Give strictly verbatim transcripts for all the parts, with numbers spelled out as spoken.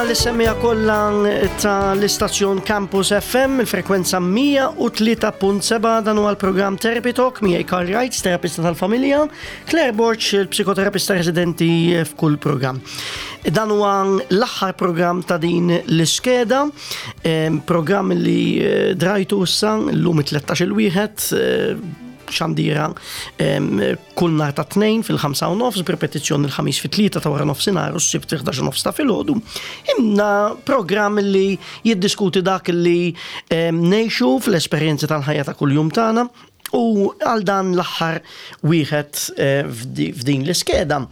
Lis-semmiegħa kollha ta' l-istazzjon Campus F M, il-frekwenza mija u tlieta punt sebgħa. Dan huwa l-programm Therapy Talk miegħi Karl Wrights, terapista tal-familja, Claire Borch, il-psikoterapista residenti f'kull programm. Dan huwa l-aħħar programm ta' din l-iskeda, em, programm li eh, drajtu issa llum it-tlettax il-wieħed eh, xandira em, kull nhar ta' tnejn fil-ħamsa u nofs, b'repetizzjoni l-ħamis fit-tlieta ta' wara nofsinhar u s-sibt fil-ħdax u nofs ta' filgħodu. Imma programm li jiddiskuti dak li em, ngħixu fl-esperjenzi tal-ħajja ta' kuljum tagħna u għal dan l-aħħar wieħed eh, f'di- f'din l-iskeda.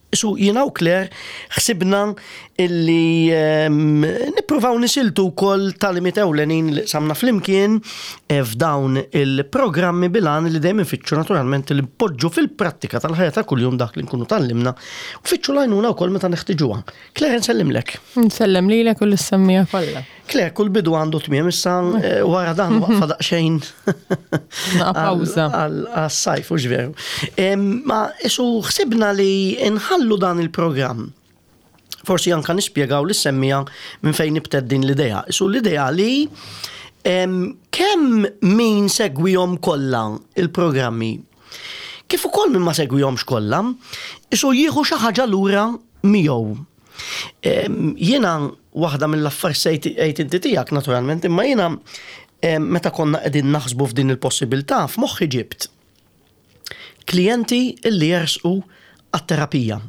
Su jiena u Claire ħsibna illi um, nippruvaw nisiltu wkoll tagħlimiet ewlenin li qsamna flimkien eh, f'dawn il-programmi bil-għan li dejjem infittxu naturalment li npoġġu fil-prattika tal-ħajja ta' kuljum dak li nkunu tgħallimna u nfittxu l-għajnuna wkoll meta neħtiġuha. Claire, nsellimlek. Nsellem lilek u lis-semmiegħa kollha. Claire, kull bidu għandu tmiem, issa eh, wara dan waqfa daqsxejn. Naqa pawża. Għas-sajf, u veru. Ma isu ħsibna li nħallu dan il-programm. Forsi anka nispjegaw lis-semmiegħa minn fejn nibtet din l-idea. Isu l-idea li em, kemm min segwihom kollha il-programmi, kif ukoll min ma segwihomx kollha, isu jieħu xi ħaġa lura miegħu. Em, Jiena waħda mill-affarijiet għid inti tiegħek naturalment, imma jiena em, meta konna qegħdin naħsbu f'din il-possibilità, f'moħħi ġibt klijenti illi jersqu għat-terapija.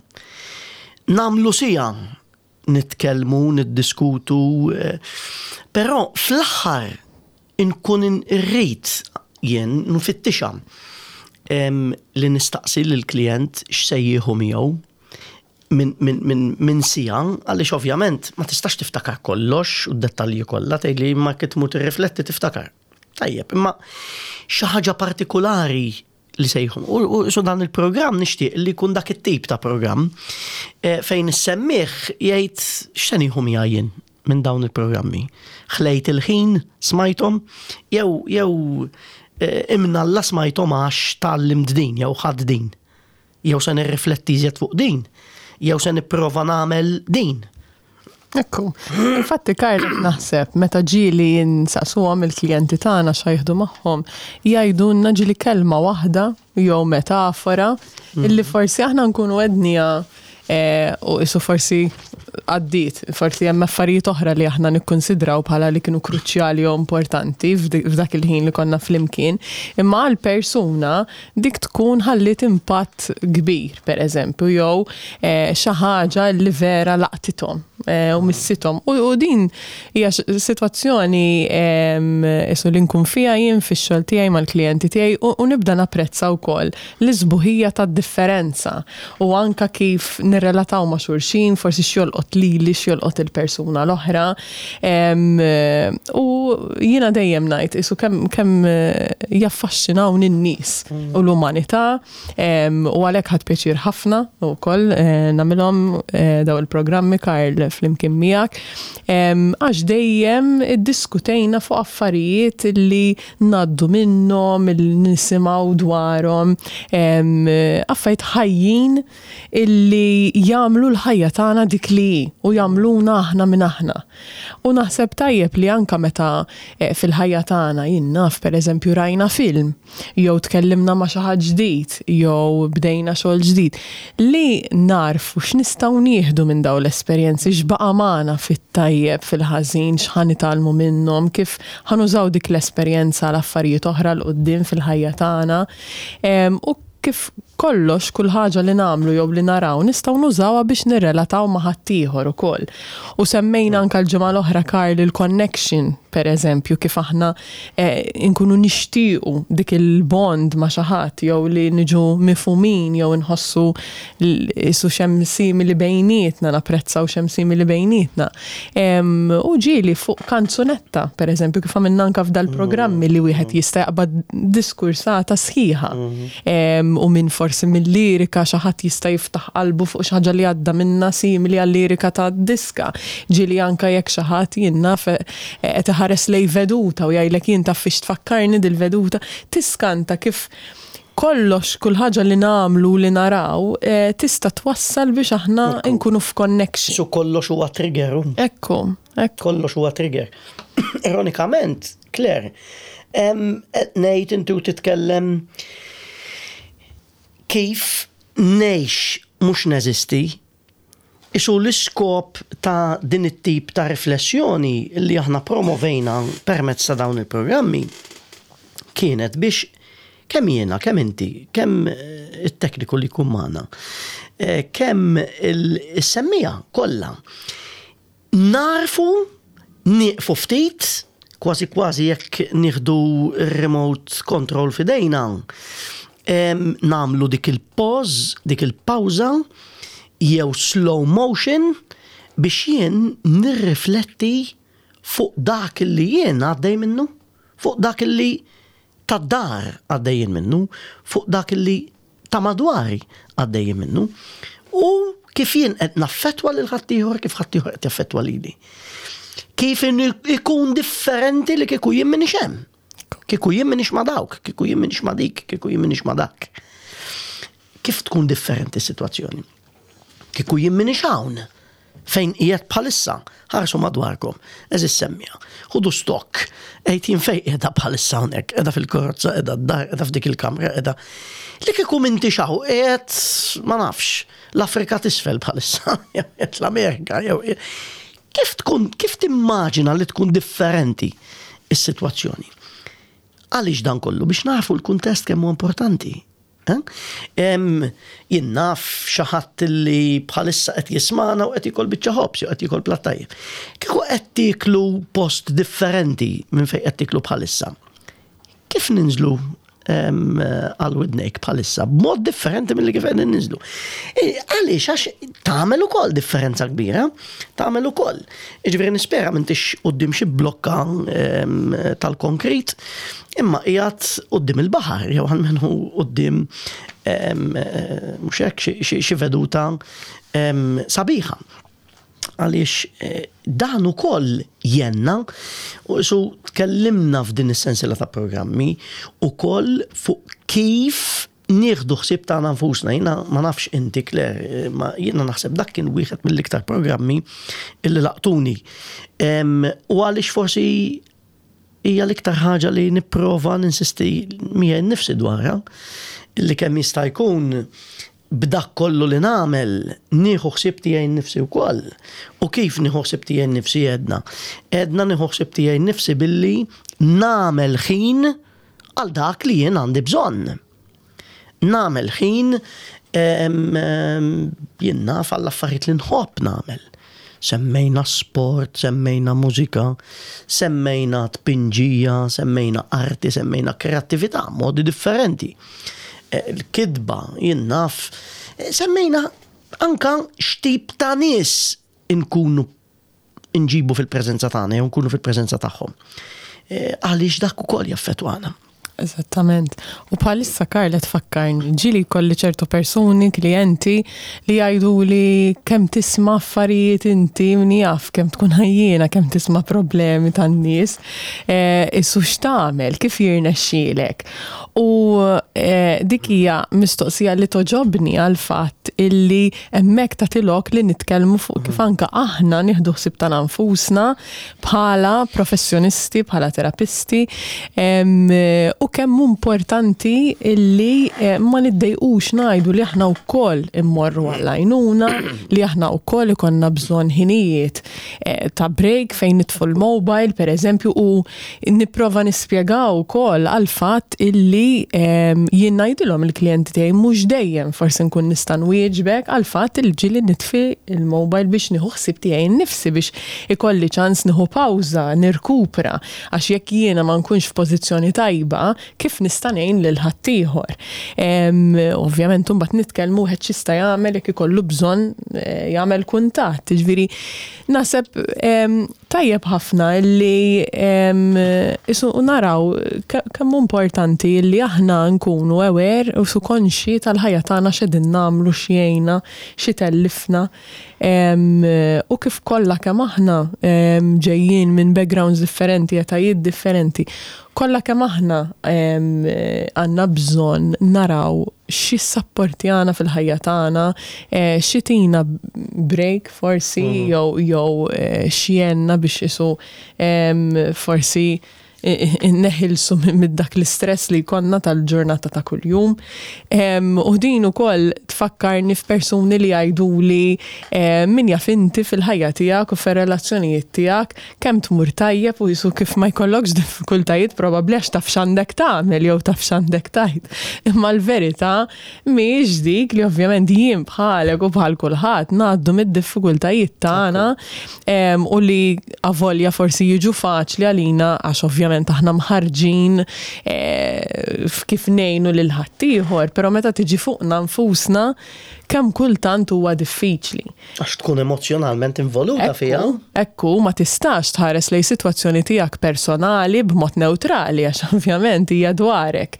Nagħmlu siegħa nitkellmu, niddiskutu, eh, però fl-aħħar inkun irrid jien nfittixa em, li nistaqsi lill-klient x'se jieħu miegħu minn min, min, min siegħa, għaliex ovvjament ma tistax tiftakar kollox u d-dettalji kollha, tgħidli ma kif tmur tirrifletti tiftakar. Tajjeb, imma xi ħaġa partikolari li sejħu. U, u so dan il-programm nixtieq li jkun dak it-tip ta' programm eh, fejn is-semmiegħ jgħid x'se nieħu miegħi jien minn dawn il-programmi. Ħlejt il-ħin smajthom jew jew eh, imnalla smajthom għax tgħallimt din jew ħadd din. Jew se nirrifletti iżjed fuq din. Jew se nipprova nagħmel din. Ekku. Infatti, Karl, naħseb meta ġieli nsaqsuhom il-klijenti tagħna x'ħa jieħdu magħhom, jgħidulna ġieli kelma waħda jew metafora illi forsi aħna nkunu għednieha eh, u isu forsi għaddiet, forsi hemm affarijiet oħra li aħna nikkonsidraw bħala li kienu kruċjali u importanti f'dik f'dak il-ħin li konna flimkien, imma għal persuna dik tkun ħallit impatt kbir, per eżempju, jew eh, xi ħaġa li vera laqtithom eh, u missithom. U, u din hija x- sitwazzjoni em, isu li nkun fija jien fix-xogħol tiegħi mal-klijenti tiegħi u, u nibda napprezza wkoll l-isbuħija tad-differenza u anka kif nirrelataw ma' xulxin, forsi x'jolqot lili, x'jolqot il-persuna l-oħra. Em, U jiena dejjem ngħid isu kemm kemm eh, jaffaxxinawni n-nies u l-umanità em, u għalhekk ħadt pjaċir ħafna wkoll eh, nagħmilhom eh, daw il-programmi, Karl, flimkien miegħek Em, għax dejjem iddiskutejna fuq affarijiet li ngħaddu minnhom, li nisimgħu dwarhom, em, affarijiet ħajjin illi jagħmlu l-ħajja tagħna dik li hi u jagħmluna aħna minn aħna. U naħseb tajjeb li anka meta eh, fil-ħajja tagħna, jien naf, pereżempju, rajna film, jew tkellimna ma' xi ħadd ġdid, jew bdejna xogħol ġdid, li narfu x'nistgħu nieħdu minn dawn l-esperjenzi, x'baqa' magħna fit-tajjeb, fil-ħażin, x'ħa nitgħallmu minnhom, kif ħa nużaw dik l-esperjenza għal affarijiet oħra 'l quddiem fil-ħajja tagħna. Em, U kif kollox, kull ħaġa li nagħmlu jew li naraw nistgħu nużawha biex nirrelataw ma' ħaddieħor ukoll. U semmejna anka l-ġimgħa l-oħra, Karl, il-connection, per eżempju, kif aħna eh, nkunu nixtiequ dik il-bond ma' xi ħadd jew li niġu mifhumin jew nħossu l- isu x'hemm simili bejnietna, napprezzaw x'hemm simili bejnietna. Em, U ġieli fuq kanzunetta, per eżempju, kif għamilna anka f'dal-programmi li wieħed jista' jaqbad diskursata sħiħa. Em, U minn forsi mill-lirika xi ħadd jista' jiftaħ qalbu fuq xi ħaġa li għadda minna simili għal-lirika ta' diska. Ġieli anka jekk xi ħadd, jien naf, qed iħares lej veduta u jgħidlek, "Jien taf fiex tfakkarni dil-veduta," tiskanta kif Kollox, kull ħaġa li nagħmlu, li naraw, eh, tista' twassal biex aħna nkunu f'connection. Su kollox huwa trigger. Ekku, ekku. Kollox huwa trigger. Ironikament, Claire, qed ngħid inti u titkellem kif ngħix mhux neżisti. Isu l-iskop ta' din it-tip ta' riflessjoni li aħna promovejna permezz ta' dawn il-programmi kienet biex kemm jiena, kemm inti, kemm eh, it-tekniku li jkun magħna, eh, kemm is-semmiegħa kollha narfu nieqfu ftit, kważi kważi jekk nieħdu remote control f'idejna, nagħmlu dik il-pause, dik il-pawża, jew slow motion biex jien nirrifletti fuq dak li jien għaddej minnu, fuq dak li tad-dar għaddejjin minnu, fuq dak li ta' madwari għaddejjin minnu, u kif jien qed naffettwa lil ħaddieħor, kif ħaddieħor qed jaffettwa lili. Kif ikun differenti li kieku jien minix hemm. Kieku jien minix ma' dawk, kieku jien minix ma' dik, kieku jien minix ma' dak. Kif tkun differenti s-sitwazzjoni? Kieku jien minix hawn fejn qiegħed bħalissa, ħarsu madwarkom, għeżież semmiegħa, ħudu stock, għid jien fejn qiegħda bħalissa hawnhekk, qiegħda fil-karozza, qiegħda d-dar, qiegħda f'dik il-kamra, qiegħda. Li kieku m'intix hawn, qiegħed ma nafx, l-Afrika t'isfel bħalissa, jew qiegħed l-Amerika, jew kif tkun, kif timmaġina li tkun differenti is-sitwazzjoni? Għaliex dan kollu? Biex nafu l-kuntest kemm huwa importanti. Jien naf xi ħadd li bħalissa qed jismagħna u qed jiekol biċċa ħobż jew qed jiekol platt tajjeb. Kieku qed tieklu post differenti minn fejn qed tieklu bħalissa. Kif ninżlu għal widnejk bħalissa b'mod differenti mill-li kif qegħdin ninżlu? E, għaliex għax tagħmel ukoll differenza kbira, tagħmel ukoll. Jiġifieri nispera m'intix quddiem xi blokka tal-konkrit, imma qiegħed quddiem il-baħar jew almenu quddiem mhux hekk xi veduta sabiħa. Għaliex eh, dan ukoll jenna, u su tkellimna f'din is-sensiela ta' programmi ukoll fuq kif nieħdu ħsieb tagħna nfusna. Jiena ma nafx inti, Claire, ma jiena naħseb dak kien wieħed mill-iktar programmi illi laqtuni. U għaliex forsi hija l-iktar ħaġa li nipprova ninsisti miegħi nnifsi dwarha, illi kemm jista' jkun b'dak kollu li nagħmel nieħu ħsieb tiegħi nnifsi wkoll. U kif nieħu ħsieb tiegħi nnifsi għedna? Għedna nieħu ħsieb tiegħi nnifsi billi nagħmel ħin għal dak li jien għandi bżonn. Nagħmel ħin jien naf għall affarijiet li nħobb nagħmel. Semmejna sport, semmejna mużika, semmejna tpinġija, semmejna arti, semmejna kreattività, modi differenti. Eh, il-kitba, jien naf, eh, semmejna anka x'tip ta' nies inkunu nġibu fil-preżenza tagħna jew nkunu fil-preżenza tagħhom. Eh, għaliex dak ukoll jaffettwana. Eżattament. U bħalissa, Karla, tfakkarni, ġieli kelli ċertu persuni, klienti li jgħidu li kemm tisma' affarijiet inti, min jaf, kemm tkun ħajjina, kemm tisma' problemi tan-nies, eh, issu x'tagħmel, kif jirnexxielek? U eh, dik hija mistoqsija li togħġobni għal fatt illi hemmhekk tagħti lok li nitkellmu fuq kif anka aħna nieħdu ħsieb ta' nfusna bħala professjonisti, bħala terapisti, em, u kemm importanti illi eh, ma niddejqux ngħidu li aħna wkoll immorru għall-għajnuna, li aħna wkoll ikollna bżonn ħinijiet eh, ta' break fejn nitfu l-mobile, per eżempju, u nipprova nispjegaw ukoll għal-fatt illi em, jien ngħidilhom il-klijenti tiegħi mhux dejjem forsi nkun nista' nwieġbek għal-fatt il ġieli nitfi il-mobile biex nieħu ħsieb tiegħi nnifsi, biex ikolli ċans nieħu pawża, nirkupra, għax jekk jiena ma nkunx f'pożizzjoni tajba, kif nista' ngħin lil ħaddieħor? Em, Ovvjament imbagħad nitkellmu wieħed x'jista' jagħmel jekk ikollu bżonn eh, jagħmel kuntatt. Jiġifieri naħseb em, Tajjeb ħafna li isu naraw kemm importanti li aħna nkunu aware u su konxi tal-ħajja tagħna, x'qegħdin nagħmlu, x'jgħinna, x'itellifna u kif kollha kemm aħna ġejjin minn backgrounds differenti, etajiet differenti. Kollha kemm aħna għandna bżonn naraw x'jissapportjana fil-ħajja tagħna, eh, x'itina break forsi mm. jew jew eh, x'jgħinna biex isu forsi neħilsu minn dak l-istress li konna tal-ġurnata ta' kuljum. U din ukoll tfakkarni f'persuni li jgħiduli min jaf inti fil-ħajja tiegħek u fir-relazzjonijiet tiegħek kemm tmur tajjeb u jisu kif ma jkollokx diffikultajiet, probabbli għax taf x'għandek tagħmel jew taf x'għandek tgħid. Imma l-verità mhijiex dik, li ovvjament jien bħalek u bħal kulħadd ngħaddu mid-diffikultajiet tagħna u li avolja forsi jiġu faċli għalina għax ovvjament aħna mħarġin eh, kif ngħinu lil ħaddieħor, però meta tiġi fuqna nfusna kemm kultant huwa diffiċli. Għax tkun emozjonalment involuta fiha. Ekku, ma tistax tħares lejn sitwazzjoni tiegħek personali b'mod neutrali għax ovvjament hija dwarek.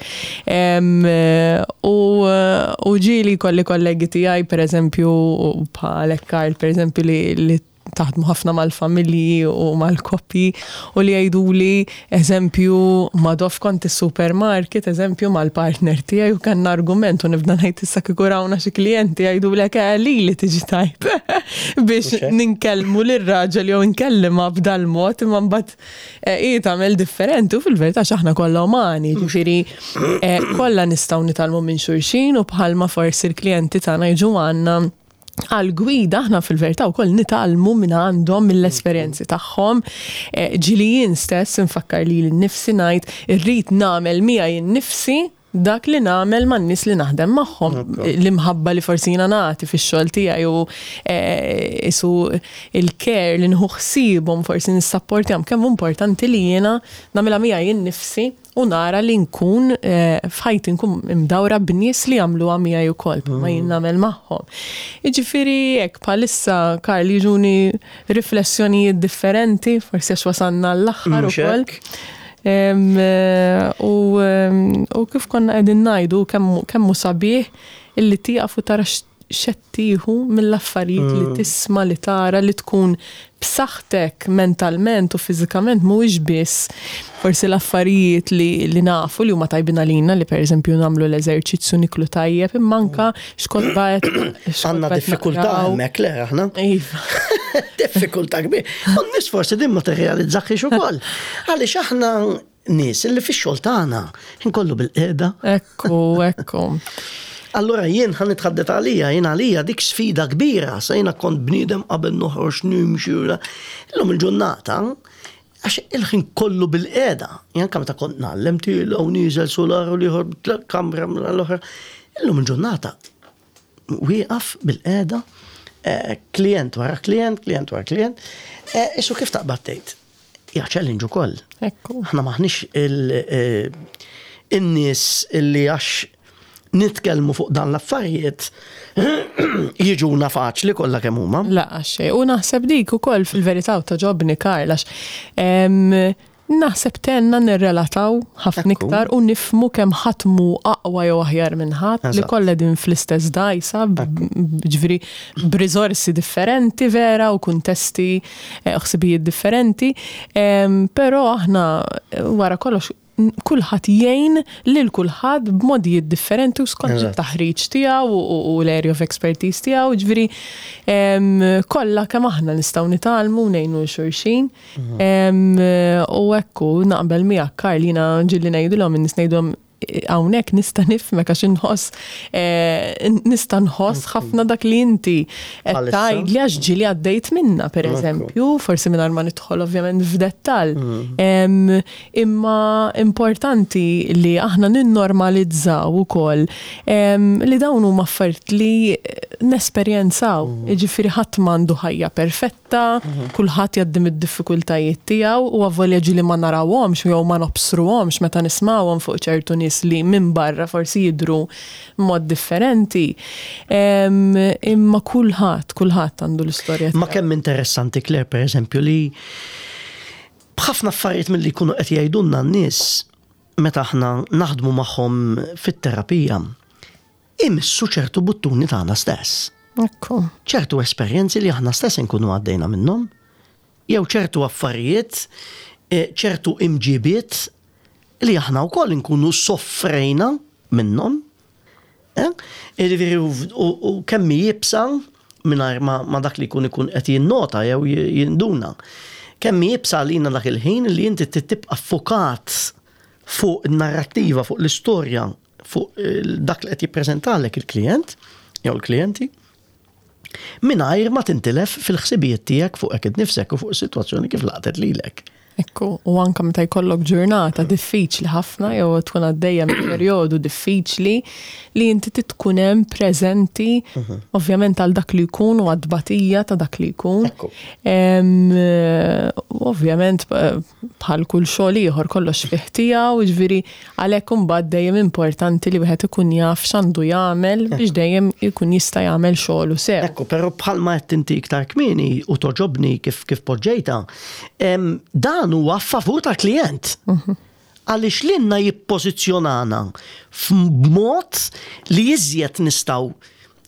U u ġieli kolli kollegi tiegħi, pereżempju bħalek Karl, pereżempju, li, li taħdmu ħafna mal-familji u mal-koppji u li jgħiduli, eżempju, madof kont is-supermarket, eżempju, mal-partner tiegħi u kellna argument u nibda ngħid issa kieku rawna xi klijenti jgħidulek eh, li li tiġi tajt biex ninkellmu lir-raġel jew nkellima b'dal mod, imma mbagħad eh, hi tagħmel differenti u fil-verità x'aħna kollha umani, ġifieri eh, kollha nistgħu nitgħallmu minn xulxin u bħalma forsi l-klijenti tagħna jiġu għandna għal gwida, aħna fil-verità wkoll nitgħallmu minn għandhom, mill-esperjenzi tagħhom. Eh, ġieli jien stess nfakkar li l-nifsi ngħid irrid nagħmel miegħi nnifsi dak li nagħmel man-nies li naħdem magħhom. L-imħabba li forsi jiena nagħti fix-xogħol tiegħi u eh, isu il-care li nieħu ħsiebhom, forsi nissapportjahom, kemm importanti li jiena nagħmilha miegħi nnifsi u nara li nkun eh, f'ħajti nkun imdawra b'nies li jagħmluha miegħi wkoll ma jien nagħmel magħhom. Jiġifieri hekk bħalissa, Karl, jiġuni riflessjonijiet differenti, forsi għax wasalna l-aħħar Mhux ukoll. Hekk? Em, eh, U em, u kif konna qegħdin ngħidu kemm kemm hu sabiħ illi tieqaf u tara x'qed tieħu mill-affarijiet li tisma', li tara, li tkun b'saħħtek mentalment u fiżikament mhuwiex biss forsi l-affarijiet li, li nafu li huma tajbin għalina, li pereżempju nagħmlu l-eżerċizzju, niklu tajjeb, imma anka x'kotba qed Għandna diffikultà hemmhekk, le aħna. Iva. Diffikultà kbir. U n-nies forsi din ma tirrealizzax ukoll. Għaliex aħna nies illi fix-xogħol tagħna inkollu bil-qiegħda. Ekku, ekku. Allora jien ħa nitħaddet għalija, jien għalija dik sfida kbira, sa jiena kont bniedem qabel noħroġ nimxi. Illum il-ġurnata, għax il-ħin kollu bil-qiegħda, jien anke meta kont ngħallem tiela u nieżel solar u l-ieħor kamra l-oħra. Illum il-ġurnata wieqaf bil-qiegħda, eh, klient wara klient, klient wara klient, eh, Isu kif taqbad tgħid? Hija challenge ukoll. Ekku. Aħna maħniex il- eh, in-nies illi għax nitkellmu fuq dan l-affarijiet jiġuna faċli kollha kemm huma. La, xej. U naħseb dik ukoll fil-verità u togħġobni, Karl, għax em, naħseb tenna nirrelataw ħafna Ekku. iktar u nifhmu kemm ħadd mhu aqwa jew aħjar minn ħadd, li Eżatt. kollha din fl-istess dajsa, ġifieri b'riżorsi differenti vera u kuntesti, eh, ħsibijiet differenti, Em, però aħna eh, wara kollox n- kulħadd jgħin lil kulħadd b'modijiet differenti u skont Eżatt. it-taħriġ tiegħu u- u u l-area of expertise tiegħu, ġifieri em, kollha kemm aħna nistgħu nitgħallmu u ngħinu 'l xulxin. Em, U ekku naqbel miegħek, Karl, jiena ġieli ngħidilhom in-nies, ngħidhom hawnhekk nista' nifhmek għax inħoss eh, nista' nħoss ħafna dak li inti qed Bħalissa. tgħidli għax ġieli għaddejt minna, pereżempju, forsi mingħajr ma nidħol ovvjament f'dettall. Em, Imma importanti li aħna ninnormalizzaw ukoll em, li dawn huma affarijiet li nesperjenzaw. Jiġifieri ħadd m'għandu ħajja perfetta. perfetta, kulħadd jgħaddi mid-diffikultajiet tiegħu u avolja ġieli ma narawhomx jew ma nobsruhomx meta nismawhom fuq ċertu nies li minn barra forsi jidru mod differenti. Imma kulħadd, kulħadd għandu l-istorja. Ma kemm interessanti, Claire, per eżempju, li b'ħafna affarijiet milli jkunu qed jgħidulna n-nies meta aħna naħdmu magħhom fit-terapija, imissu ċertu buttuni tagħna stess. Ekku. Ċertu esperjenzi li aħna stess nkunu għaddejna minnhom, jew ċertu affarijiet, eh, ċertu imġibiet li aħna wkoll nkunu soffrejna minnhom. Eh? Jiġifieri u kemm iebsa mingħajr ma dak li jkun ikun qed jinnota jew jinduna. Kemm iebsa għalina dak il-ħin li inti tibqa' ffukat fuq in-narrattiva, fuq l-istorja, fuq dak li qed jippreżentalek il-klient jew il-klijenti, mingħajr ma tintilef fil-ħsibijiet tiegħek fuqek innifsek u fuq is-sitwazzjoni kif laqtet lilek. Ekku, u anka meta jkollok ġurnata diffiċli ħafna jew tkun għaddejja minn perjodu diffiċli li inti tkun hemm preżenti mhm. ovvjament għal dak li jkun u għad-tbatija ta' dak li jkun. Ovvjament bħal kull xogħol ieħor kollox fih tiegħu, jiġifieri għalhekk imbagħad dejjem importanti li wieħed ikun jaf x'għandu jagħmel biex dejjem ikun jista' jagħmel xogħlu sew. Ekku, però bħalma qed inti iktar kmieni u togħġobni kif kif poġġejta, dan huwa favur tal-klient. Mhm. Għaliex lilna jippożizzjonana f'mod li iżjed nistgħu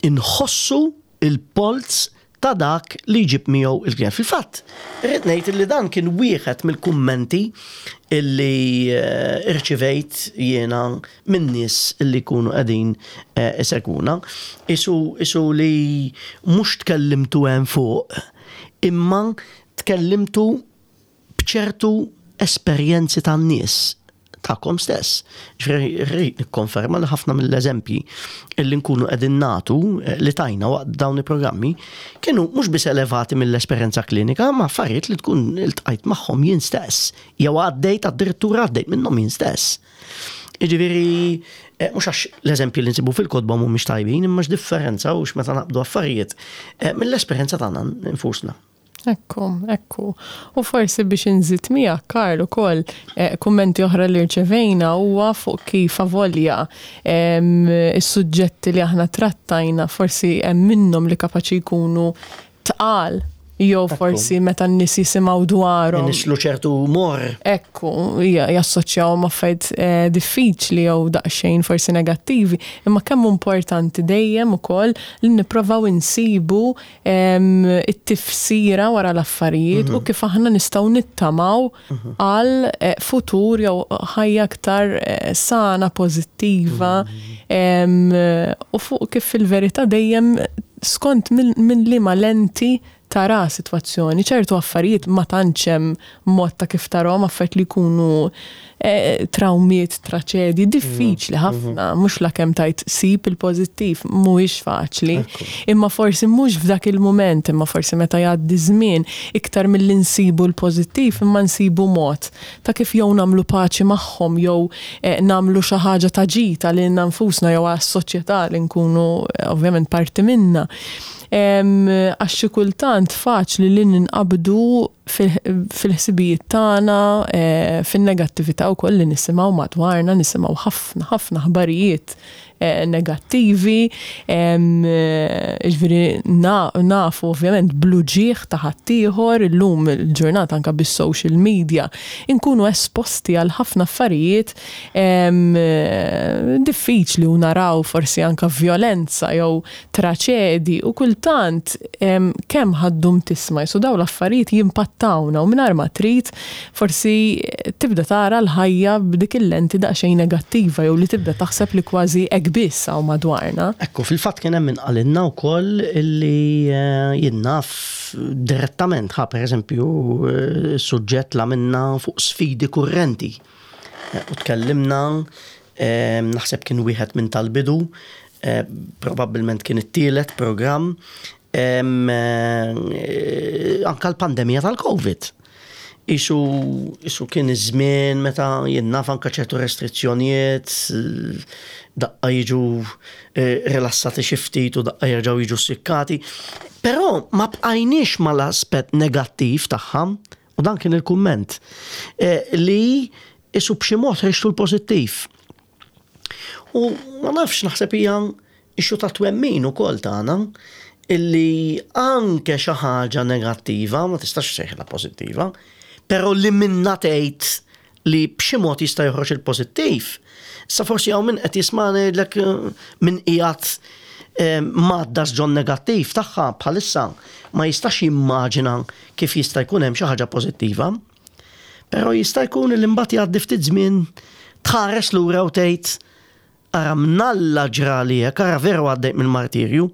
inħossu il-polz ta' dak li jġib miegħu il-klient. Fil-fatt, irrid ngħid li dan kien wieħed mill-kummenti illi eh, irċivejt jiena minn nies illi jkunu qegħdin eh, isegwuna. Isu, isu li mhux tkellimtu hemm fuq, imma tkellimtu b'ċertu esperjenzi tan-nies tagħkom stess. Ġifieri rrid nikkonferma li ħafna mill-eżempji illi nkunu qegħdin nagħtu eh, li tajna waqt dawn il-programmi kienu mhux biss elevati mill-esperjenza klinika, ma affarijiet li tkun iltqajt magħhom jien stess, jew għaddejt addirittura għaddejt minnhom jien stess. Jiġifieri eh, mhux għax l-eżempji li nsibu fil-kotba mhumiex tajbin, imma x'differenza u meta naqbdu affarijiet eh, mill-esperjenza tagħna nfusna. Ekku, ekku. U forsi biex inżid miegħek, Karl, ukoll eh, kummenti oħra li rċevejna huwa fuq kif avolja is-suġġetti li aħna trattajna forsi hemm minnhom li kapaċi jkunu tqal jew forsi meta n-nies jisimgħu dwarhom. Nislu ċertu mor. Ekku, jassoċjaw ma' affarijiet eh, diffiċli jew daqsxejn forsi negattivi, imma kemm importanti dejjem ukoll li nipprovaw insibu it-tifsira wara l-affarijiet u mhm. kif aħna nistgħu nittamaw mhm. għal eh, futur jew ħajja aktar eh, sana, pożittiva mhm. u fuq kif fil-verità dejjem skont minn liema lenti tara situazzjoni, ċertu affarijiet ma tantx hemm mod ta' kif tarahom, affarijiet li jkunu eh, trawmiet, traċedji, diffiċli mhm. ħafna, mhux la kemm tajt sib il-pożittiv, mhuwiex faċli. Imma forsi mhux f'dak il-mument, imma forsi meta jgħaddi żmien, iktar milli nsibu l-pożittiv, imma nsibu mod ta' kif jew nagħmlu paċi magħhom jew eh, nagħmlu xi ħaġa ta' ġid għalina nfusna jew għas-soċjetà li nkunu eh, ovvjament parti minna. Għax xi kultant faċli li ninqabdu fil-ħsibijiet tagħna, eh, fin-negattività wkoll li nisimgħu madwarna, nisimgħu ħafna ħafna aħbarijiet eh, negattivi, jiġifieri nafu ovvjament bl-uġigħ ta' ħaddieħor, illum il-ġurnata anke bis-social media inkunu esposti għal ħafna affarijiet diffiċli u naraw forsi anke vjolenza jew traċedi u kultant kemm ħa ddum tisma' jisu daw l-affarijiet jimpattawna u mingħajr ma trid forsi tibda tara l-ħajja b'dik il-lenti daqsxejn negattiva jew li tibda taħseb li kważi hekk biss hawn madwarna. Ekku, fil-fatt kien hemm min qalilna wkoll illi eh, jien naf direttament ħa pereżempju eh, suġġett la minna fuq sfidi kurrenti. Eh, u tkellimna, naħseb kien wieħed minn tal-bidu, probabbilment kien it-tielet programm, anka l-pandemija tal-Covid. Isu, isu kien iż-żmien meta jien naf anka ċertu restrizzjonijiet, daqqa jiġu eh, rilassati xi ftit u daqqa jerġgħu jiġu sikkati. Però ma bqajniex mal-aspett negattiv tagħha, u dan kien il-kumment, eh, li isu b'xi mod ħriġtu l-pożittiv. U ma nafx, naħseb hija issue ta' twemmin ukoll tagħna illi anke xi ħaġa negattiva ma tistax sejħla pożittiva, però li minna tgħid li b'xi mod jista' joħroġ il-pożittiv. Sa forsi hawn min qed jismani jgħidlek eh, min qiegħed eh, madda ġon negattiv tagħha bħalissa ma jistax jimmaġina kif jista' jkun hemm xi ħaġa pożittiva. Però jista' jkun li mbagħad jgħaddi ftit żmien, tħares lura u tgħid, "Ara mnalla ġrali hekk, ara veru għaddejt mill-martirju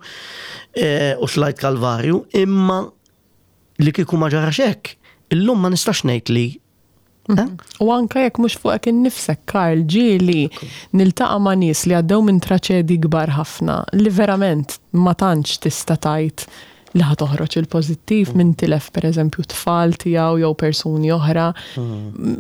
eh, u tlajt kalvarju, imma li kieku ma ġarax hekk, illum ma nistax ngħid li eh?" U anka jekk mhux fuqek innifsek, Karl, ġieli niltaqa' ma' nies li għaddew minn traċedi kbar ħafna li verament ma tantx tista' tgħid li ħa toħroġ il-pożittiv, minn tilef pereżempju tfal tiegħu jew persuni oħra.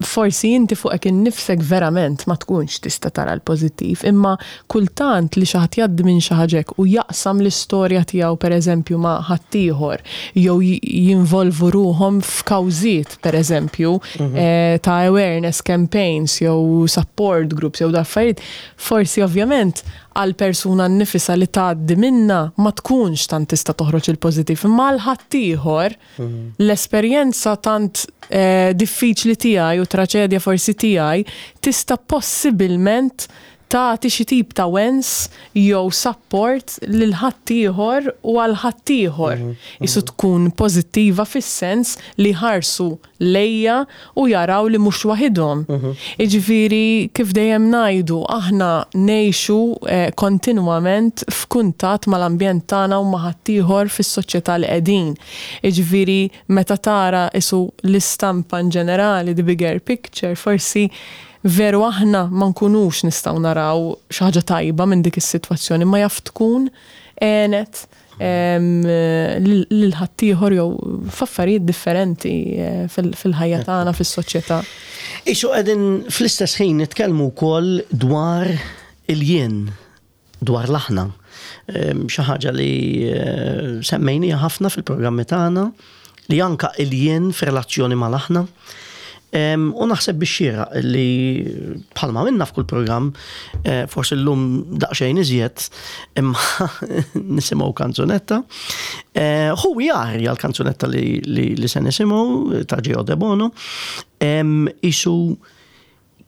Forsi inti fuqek innifsek verament ma tkunx tista' tara l-pożittiv, imma kultant li xi ħadd jgħaddi minn xi ħaġa hekk u jaqsam l-istorja tiegħu pereżempju ma' ħaddieħor jew jinvolvu ruhom f'kawżiet pereżempju eh, ta' awareness campaigns jew support groups jew daffarijiet, forsi ovvjament għal persuna nnifisha li tgħaddi minna ma tkunx tant tista' toħroġ il-pożittiv, imma għal ħaddieħor l-esperjenza tant eh, diffiċli tiegħi u traċedja forsi tiegħi tista' possibilment tagħti xi tip ta' wens jew support lil ħaddieħor u għal ħaddieħor. Isu tkun pożittiva fis-sens li ħarsu lejja u jaraw li mhux waħidhom. Jiġifieri kif dejjem ngħidu, aħna ngħixu eh, kontinwament f'kuntatt mal-ambjent tagħna u ma' ħaddieħor fis-soċjetà li qegħdin. Jiġifieri meta tara isu l-istampa in ġenerali, the bigger picture, forsi veru aħna ma nkunux nistgħu naraw xi ħaġa tajba minn dik is-sitwazzjoni, ma jaf tkun għenet lil ħaddieħor jew f'affarijiet differenti eh, fil-ħajja tagħna fis-soċjetà. Isu qegħdin fl-istess ħin nitkellmu wkoll dwar il-jien, dwar l-aħna. Xi ħaġa li eh, semmejnija ħafna fil-programmi tagħna, li anka il-jien f'relazzjoni mal-aħna. U naħseb biex xieraq li bħalma minna f'kull programm, eh, forsi l-lum daqsxejn iżjed, imma nisimgħu kanzunetta. Eh, Who We Are hija l-kanzunetta li, li, li se nisimgħu ta' Gio De Bono. Isu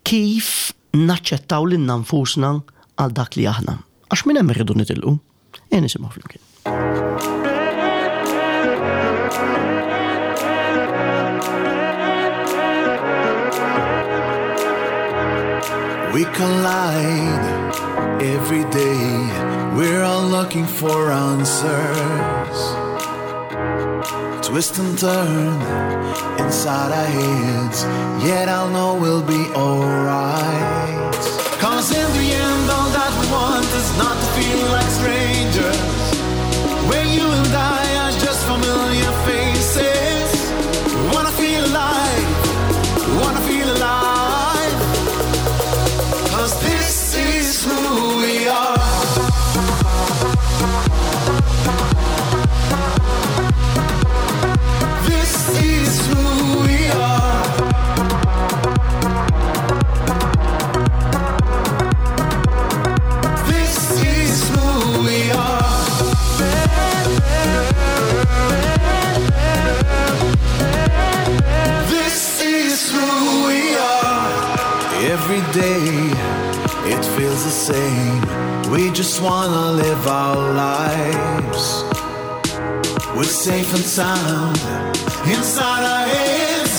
kif naċċettaw lil nfusna għal dak li aħna. Għax minn hemm irridu nitilqu. E nisimgħu flimkien. We collide every day. We're all looking for answers. Twist and turn inside our heads, yet I'll know we'll be alright. 'Cause in the end, all that we want is not to feel like strangers. Where you and I are just familiar faces. Wanna feel alive, wanna feel alive. 'Cause this is who we are. This is who we are. This is who we are. This is who we are. Every day it feels the same. We just wanna live our lives. We're safe and sound inside our heads,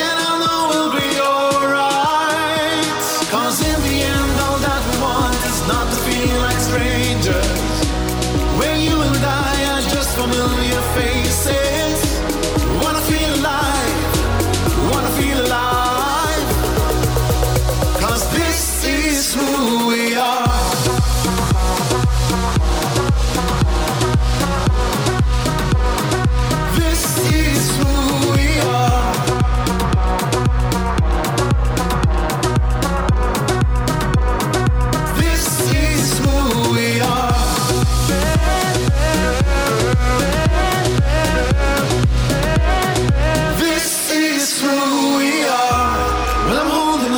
and I know we'll be alright. 'Cause in the end, all that we want is not to feel like strangers. Where you and I are just familiar faces. Wanna feel alive, wanna feel alive. 'Cause this is who we are. This is who we are.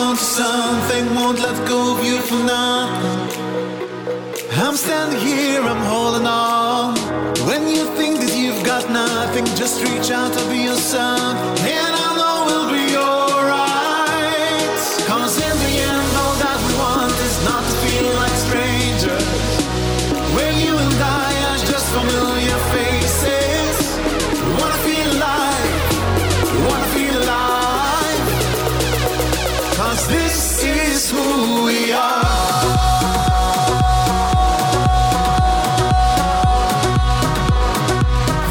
on to something, won't let go of you for nothing. I'm standing here, I'm holding on. When you think that you've got nothing, just reach out, I'll be your son, and I know we'll be alright. 'Cause in the end, all that we want is not to feel like strangers, where you and I are just familiar faces. We wanna feel alive, we wanna feel alive, 'cause this is who we are.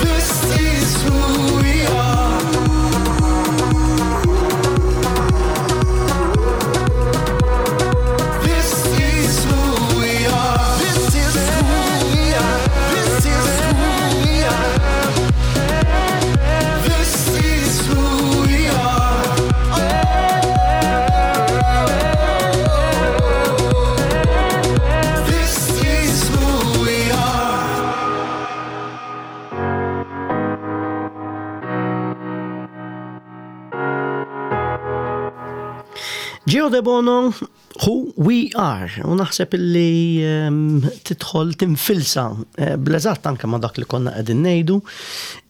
This is who we are. This is who we are. This is who we are. This is who we are. This is who we are. This is who we are. Gio De Bono, Who We Are. U naħseb illi um, tidħol tinfilsa eh, bl-eżatt anke ma' dak li konna qegħdin ngħidu,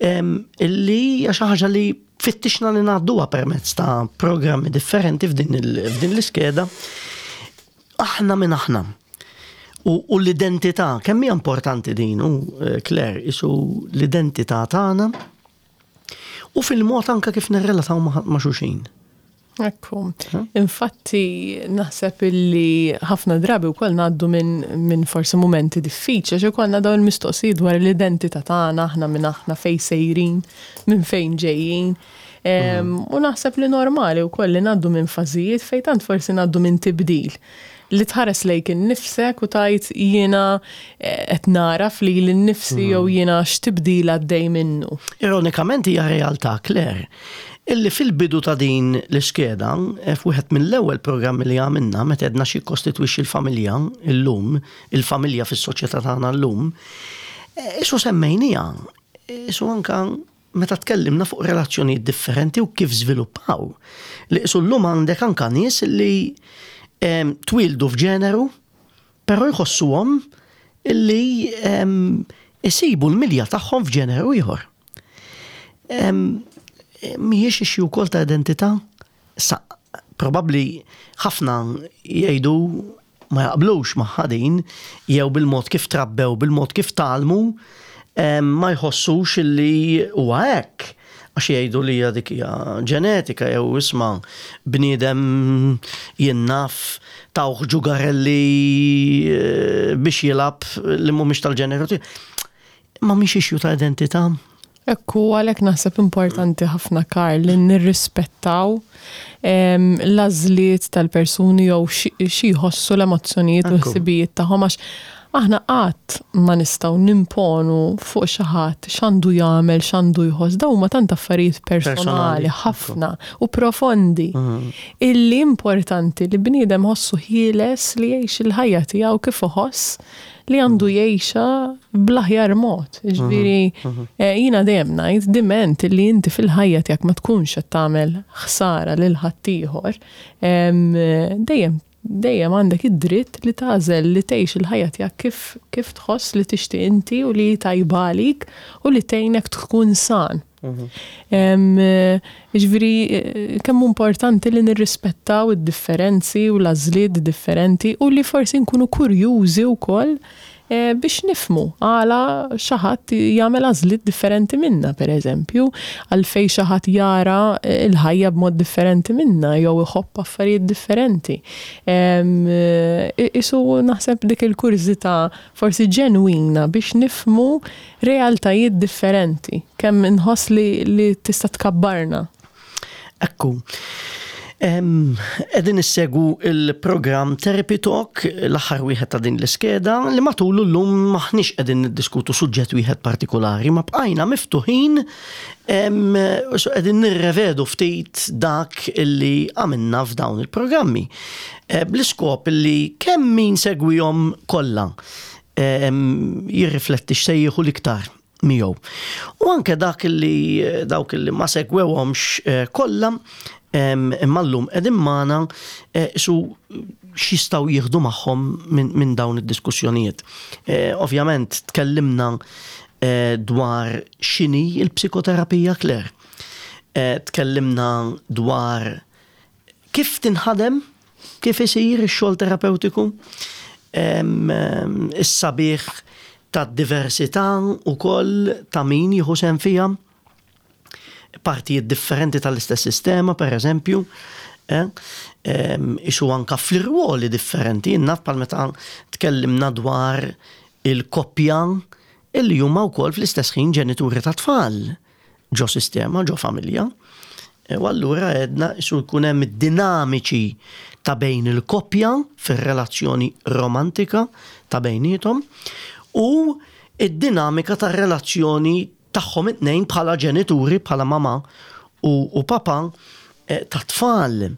um, illi hija xi ħaġa li fittixna li ngħadduha permezz ta' programmi differenti f'din il- f'din l-iskeda. Aħna minn aħna. U, u l-identità, kemm hija importanti din, u eh, Claire, isu l-identità tagħna u fil-mod anke kif nirrelataw ma' ma' xulxin. Ekku. Infatti, naħseb illi ħafna drabi wkoll ngħaddu minn min forsi momenti diffiċli, għax ikollna dawn il-mistoqsijiet dwar l-identità tagħna, aħna minn aħna, fejn sejrin, minn fejn ġejjin. Em, U naħseb li normali wkoll li ngħaddu minn fażijiet fejn tant forsi ngħaddu minn tibdil. Li tħares lejk innifsek u tgħid jiena eh, qed naraf li l-nifsi jew jiena x'tibdil għaddej minnu. Ironikament hija realtà, Claire, illi fil-bidu ta' din l-iskeda, eh, f'wieħed mill-ewwel programmi li għamilna meta għedna xi kostitwixxi l-familja illum, il-familja fis-soċjetà tagħna llum, eh, isu semmejnija, isu anka meta tkellimna fuq relazzjonijiet differenti u kif żviluppaw. Li isu llum għandek anka nies li em, twildu f'ġeneru, però jħossuhom illi em, isibu l-milja tagħhom f'ġeneru ieħor. Em, Mhijiex issue wkoll ta' identità? Sa, probabbli ħafna jgħidu ma jaqblux ma' din, jew bil-mod kif trabbew, bil-mod kif tgħallmu, em, ma jħossux illi huwa hekk. Għax jgħidu li hija dik hija ġenetika jew isma' bniedem jien naf tawh ġugarelli eh, biex jilgħab li mhumiex tal-ġeneru tiegħu. Ma mhix issue ta' identità. Ekku, għalhekk naħseb importanti ħafna, Karl, li nirrispettaw em, l-għażliet tal-persuni jew xi xi jħossu l-emozzjonijiet u Ekku. l-ħsibijiet tagħhom, għax aħna qatt ma nistgħu nimponu fuq xi ħadd x'għandu jagħmel, x'għandu jħoss. Dawn huma tant affarijiet personali Personali, ħafna u profondi illi importanti li bniedem ħossu ħieles li jgħix il-ħajja tiegħu kif iħoss li għandu jgħixha bl-aħjar mod. Ġifieri, eh, jiena dejjem ngħid diment li inti fil-ħajja tiegħek ma tkunx qed tagħmel ħsara lil ħaddieħor, em, dejjem dejjem għandek id-dritt li tagħżel li tgħix il-ħajja tiegħek kif kif tħoss li tixtieq inti u li tajba għalik u li tgħinek tkun san. Em, eh, Ġifieri, eh, kemm hu importanti li nirrispettaw id-differenzi u l-għażliet differenti u li forsi nkunu kurjużi wkoll eh, biex nifhmu għala xi ħadd jagħmel għażliet differenti minna, per eżempju, għalfejn xi ħadd jara eh, il-ħajja b'mod differenti minna jew iħobb affarijiet differenti. Em, eh, Isu naħseb dik il-kurżità forsi ġenwina biex nifhmu realtajiet differenti, kemm inħoss li, li tista' tkabbarna. Ekku. Em, Qegħdin issegwu il-programm Therapy Talk, l-aħħar wieħed ta' din l-iskeda, li matulu llum maħniex qegħdin niddiskutu suġġett wieħed partikolari, ma bqajna miftuħin, em, so qegħdin nirrevedu ftit dak illi għamilna f'dawn il-programmi. Eh, Bl-iskop illi kemm min segwihom kollha em, jirrifletti x'se jieħu l-iktar miegħu. U anke dak li dawk li ma segwewhomx eh, kollha Imma llum qegħdin magħna eh, su x'jistgħu jieħdu magħhom minn dawn id-diskussjonijiet. Eh, ovvjament tkellimna eh, dwar x'inhi il-psikoterapija, Claire. Tkellimna dwar kif tinħadem, kif isir ix-xogħol terapewtiku, is-sabiħ ta' diversità u koll ta' min jieħu sehem fiha, partijiet differenti tal-istess sistema, per eżempju, eh, isu anka fl-irwoli differenti, naf bħal meta tkellimna dwar il-koppja illi huma wkoll fl-istess ħin ġenituri ta' tfal ġo sistema, ġo familja. E, u allura għedna isu jkun hemm dinamiċi ta' bejn il-koppja fir-relazzjoni romantika ta' bejnietom u id-dinamika ta' relazzjoni tagħhom it-tnejn bħala ġenituri, bħala mama u, u papa eh, ta' tfal.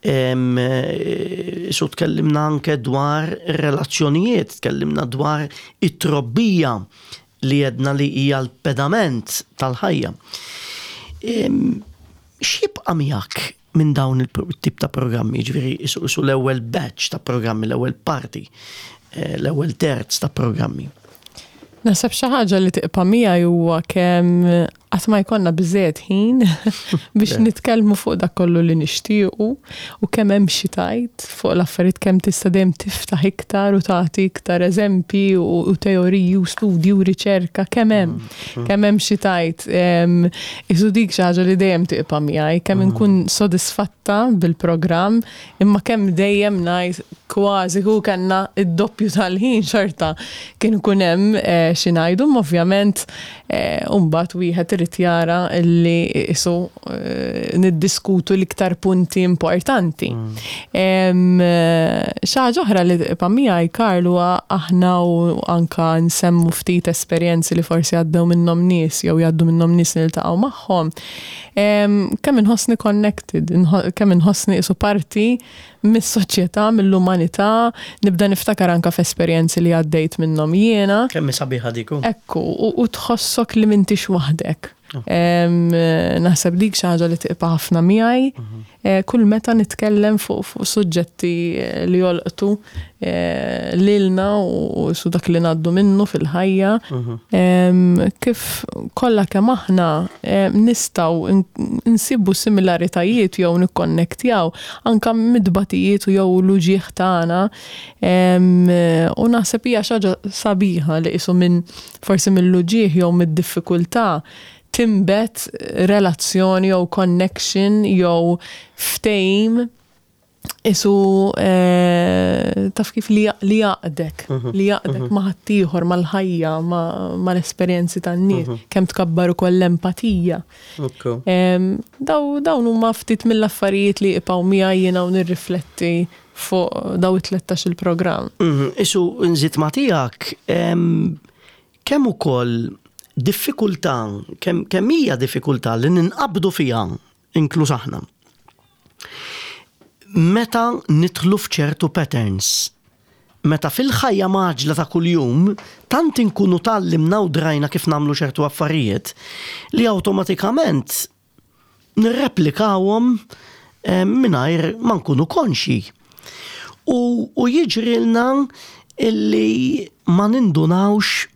Eh, su tkellimna anke dwar relazzjonijiet, tkellimna dwar it-trobbija li għedna li hija l-pedament tal-ħajja. X'jibqa' miegħek minn dawn il-tip ta' programmi, ġifieri su l-ewwel batch ta' programmi, l-ewwel parti, eh, l-ewwel terz ta' programmi? Naħseb xi ħaġa li tibqa' miegħi huwa kemm qatt ma jkollna biżejjed ħin biex nitkellmu fuq dak kollu li nixtiequ u kemm hemm xi tgħid fuq l-affarijiet, kemm tista' dejjem tiftaħ iktar u tagħti iktar eżempji u teoriji u studji u riċerka, kemm hemm mm, kemm hemm xi tgħid. Isu dik xi ħaġa li dejjem tibqa' miegħi, kemm inkun sodisfatta bil-programm imma kemm dejjem ngħid kważi hu kellna id-doppju tal-ħin xorta kien ikun hemm eh, xi ngħidu. Ovvjament eh, mbagħad wieħed irid jara li isu eh, niddiskutu l-iktar punti importanti. Mm. Xi ħaġa oħra li tibqa' miegħi, Karl, huwa aħna u anka nsemmu ftit esperjenzi li forsi għaddew minnhom nies jew jgħaddu minnhom nies niltaqgħu magħhom. Kemm inħossni connected, kemm inħossni isu parti mis-soċjetà, mill-umanità, nibda niftakar anka f'esperjenzi li għaddejt minnhom jiena. Kemm sabiħa dik. Ekku, u tħossok li m'intix waħdek. Oh. Naħseb dik xi ħaġa li tibqa' ħafna miegħi. Mhm. Eh, kull meta nitkellem fuq fuq suġġetti eh, li jolqtu eh, lilna u su dak li ngħaddu minnu fil-ħajja, mhm. kif kollha kemm aħna nistgħu nsibu similaritajiet jew nikkonnektjaw anka mid-batijiet u jew l-uġieħ tagħna. U naħseb hija xi ħaġa sabiħa li qisu minn forsi mill-uġieħ jew mid-diffikultà timbet relazzjoni jew connection jew ftehim isu eh, taf kif li li jgħaqqdek, mhm. li jgħaqqdek mhm. ma' ħaddieħor, mal-ħajja, mal-esperjenzi tan-nies, mhm. kemm tkabbar ukoll l-empatija. Dawn huma ftit mill-affarijiet li jibqgħu miegħi jiena u nirrifletti fuq daw it-tlettax il-programm. Isu nżid ma' tiegħek, kemm ukoll diffikultà, kemm kemm hija diffikultà li ninqabdu fiha, inkluż aħna, meta nidħlu f'ċertu patterns. Meta fil-ħajja mgħaġġla ta' kuljum, tant inkunu tgħallimna u drajna kif nagħmlu ċertu affarijiet li awtomatikament nirreplikawhom eh, mingħajr ma nkunu konxi. U, u jiġrilna illi ma nindunawx